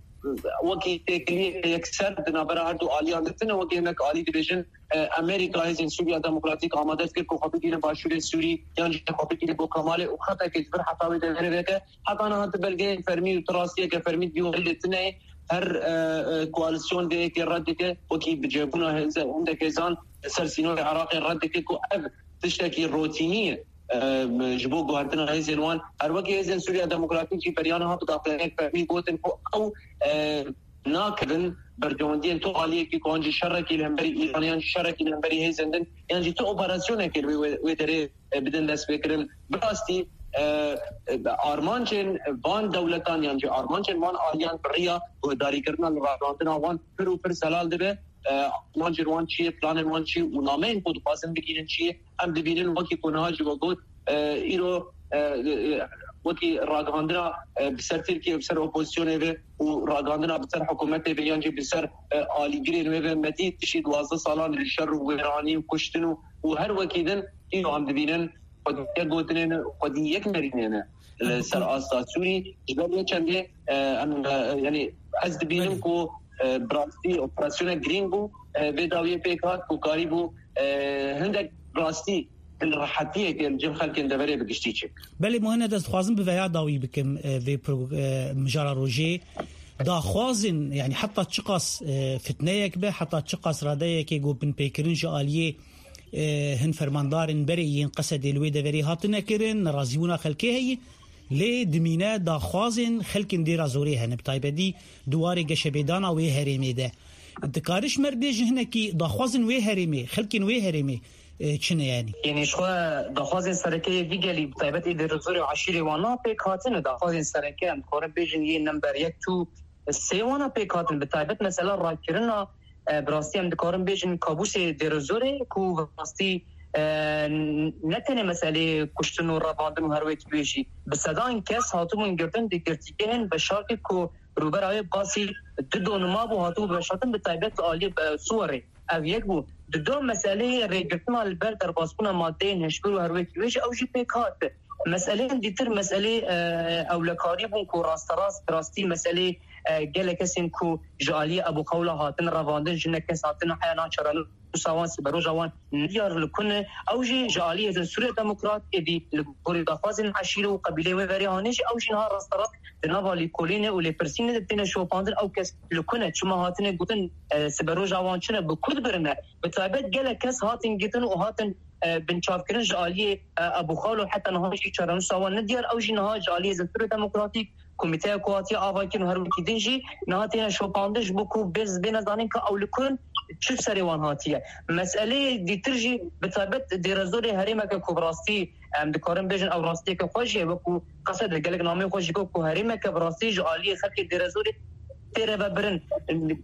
wekî têkiliyeke yekser di navbera her du aliyan de tune, wekî hinek alî dibêjin, e, Amerîka hêzên Sûriya Demokratîk amade dikir ku xwe bigihîne başûrê Sûrî yan jî xwe bigihîne bo Kemalê û xetekê ji vir heta wê deverê veke. Heta niha tu belgeyên fermî û tu rastiyeke fermî di vî warî de tune ye. Her, e, e, koalîsyon vê yekê red dike, wekî bicihbûna hêze-, hindek hêzan li ser sînorê Iraqê red dike ku ev tiştekî rotînî ye, e, ji bo guhertina hêzên wan. Her wekî hêzên Sûriya Demokratîk jî beriya niha bi daxuyaniyek fermî gotin ku ew, e, nakevin berjewendiyên tu aliyekî ku an jî şerekî li hemberî Îranê yan jî şerekî li hemberî hêzên din yan jî tu operasyonekê li wê, wê, wê derê, e, bidin destpêkirin. Bi rastî, e, e, armancên van dewletan yan jî armancên van aliyan bi riya guhdarîkirina li ragihandina wan pir û pir zelal dibe. E, armancên wan çi ye, planên wan çi ye û nameyên ku dixwazin bigihînin çi ye? Em dibînin wekî ku niha jî we got, e, îro, e, e, wekî ragihandina, e, bi ser Tirkiye, bi ser opozisyonê ve û ragihandina bi ser hikûmetê ve yan jî bi ser, e, alîgirên wê ve me dît piştî duwazdeh salan li şer û wêranî û kuştin û, û her wekî din îro em dibînin xwedî yek gotinê ne, xwedî yek nerînê ne li ser asta Sûrî. Ji ber vê çendê, e, em, e, yanî ez dibînim ku, e, bi rastî operasyonek girîng bû, e, vê dawiyê pêk hat ku karîbû, e, hindek rastî rehetiyekê li cem xelkên deverê bi giştî çêbike. Belê, Muhened, ez dixwazim bi veya dawî bikim, e, vê pro-, e, mijara rojê. Daxwazin, yanî heta çiqas, e, fitneyek be, heta çiqas radeyekê ku binpêkirin ji aliyê, e, hin fermandarên berê yên Qesedê li wê deverê hatine kirin, nerazîbûna xelkê heye, lê dimîne daxwazên xelkên Dêra Zorê hene, bi taybetî di warê geşebêdana wê herêmê de. Dikare ji me re bêje hinekî daxwazên wê herêmê, xelkên wê herêmê, e, çi ne yanî? Yanî ji xwe daxwazên sereke yê vî gelî, bi taybet ê Dêra Zorê û eşîrê wan pêk hatine. Daxwazên sereke em dikarin bêjin yê nember yek tu sê wana pêk hatin, bi taybet mesela rakirina, e, bi rastî em dikarin bêjin kabûsê Dêrezorê ku bi rastî, e, ne tenê meselê kuştin û revandin û her wekî wê jî bi sedan kes hatibûn girtin di girtîgehên veşartî ku rûbera wê basî du donima bû hatibû veşartin, bi taybet li aliyê, e, Siwerê. Ev yek bû. Di do meseleyê rêgirtina li ber derbasbûna madeyên hişbir û her wekî wê jî ew jî pêk hat. Meseleyên dîtir meselê, e, ewlekarî bûn ku rasterast, bi rastî meselê, e, gelek kesên ku ji aliyê Ebû Xewla hatin revandin, jinek kes hatin heya nan çarenûsa wan, siberoja wan nediyar li ku ne. Ew jî ji aliyê Hêzên Sûriya Demokrat êdî li gorî daxwazên eşîre û qebîleyê wê verê hanê jî ew jî niha rasterast di nava lîkolînê û lêpirsînê de têne şopandin. Ew kes li ku ne, çima hatine gotin, e, siberoja wan çi ne, bi ku dibirine? Bi taybet gelek kes hatin girtin û hatin, e, binçavkirin ji aliyê, e, Ebû Xewlo, heta niha jî çarenûsa wan nediyar. Ew jî niha ji aliyê Hêzên Sûriya Demokratîk, komîteya ku hatiye avakirin û her wekî din jî niha têne şopandin ji bo ku bê-, bêne zanîn ka ew li ku ne, çi serê wan hatiye. Meseleyê dîtir jî bi taybet Dêrezorê herêmeke ku bi rastî em dikarin bêjin ew rastiyeke xwe jî ye, wekî Qesede gelek nameyê xwe jî got ku herêmeke bi rastî ji aliyê xelkê Dêrezorê tê revebirin.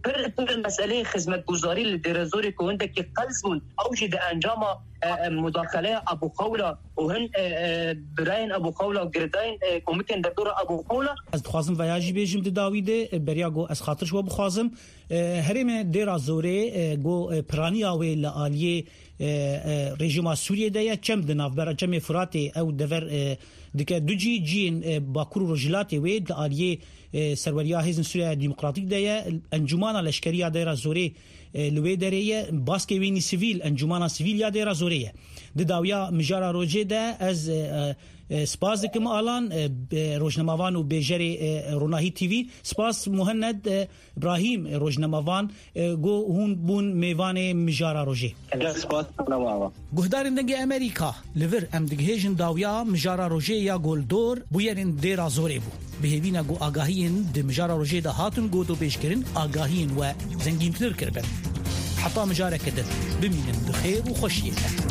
Pir, pir meseleyê xizmetguzarî li Dêrezorê ku hindekî qels bûn, ew jî di encama, e, e, mudaxeleya Ebû Xewla û hin, e, e, birayên Ebû Xewla, girêdayên, e, komikên derdora Ebû Xewla. Ez dixwazim veya jî bêjim di dawî de, e, beriya ku ez xatir ji we bixwazim, e, herêmê Dêra Zorê, e, ku, e, piraniya wê li aliyê, e, e, rejîma Sûriyê de ye, çem di navbera Çemê Firatê, ew dever, e, dike du cî, ciyên, e, Bakur û Rojhilatê wê di aliyê, e, serweriya Hêzên Sûriya Demokratîk de ye. Encûmana Leşkerî ya Dêra Zorê, e, li wê derê ye. Baskê wênî sivîl, Encûmana Sivîl ya Dêra Zorê ye. Di dawiya mijara rojê de ez, e, e, e, spas dikim Alan, e, e, rojnamevan û bêjerê, e, Ronahî T V. Spas Muhened, e, Îbrahîm, rojnamevan, e, ku hûn bûn mêvanê mijara rojê. Gelek spas, nawa. Guhdarên Dengê Amerîka, li vir em digihêjin dawiya mijara rojê ya ku li dor bûyerên Dêra Zorê bû. Bi hêvî ne ku agahiyên di mijara rojê de hatin gotûbêjkirin, agahiyên we zengîntir kiribin. Heta mijareke din, bimînin bi xêr û xweşiyê de.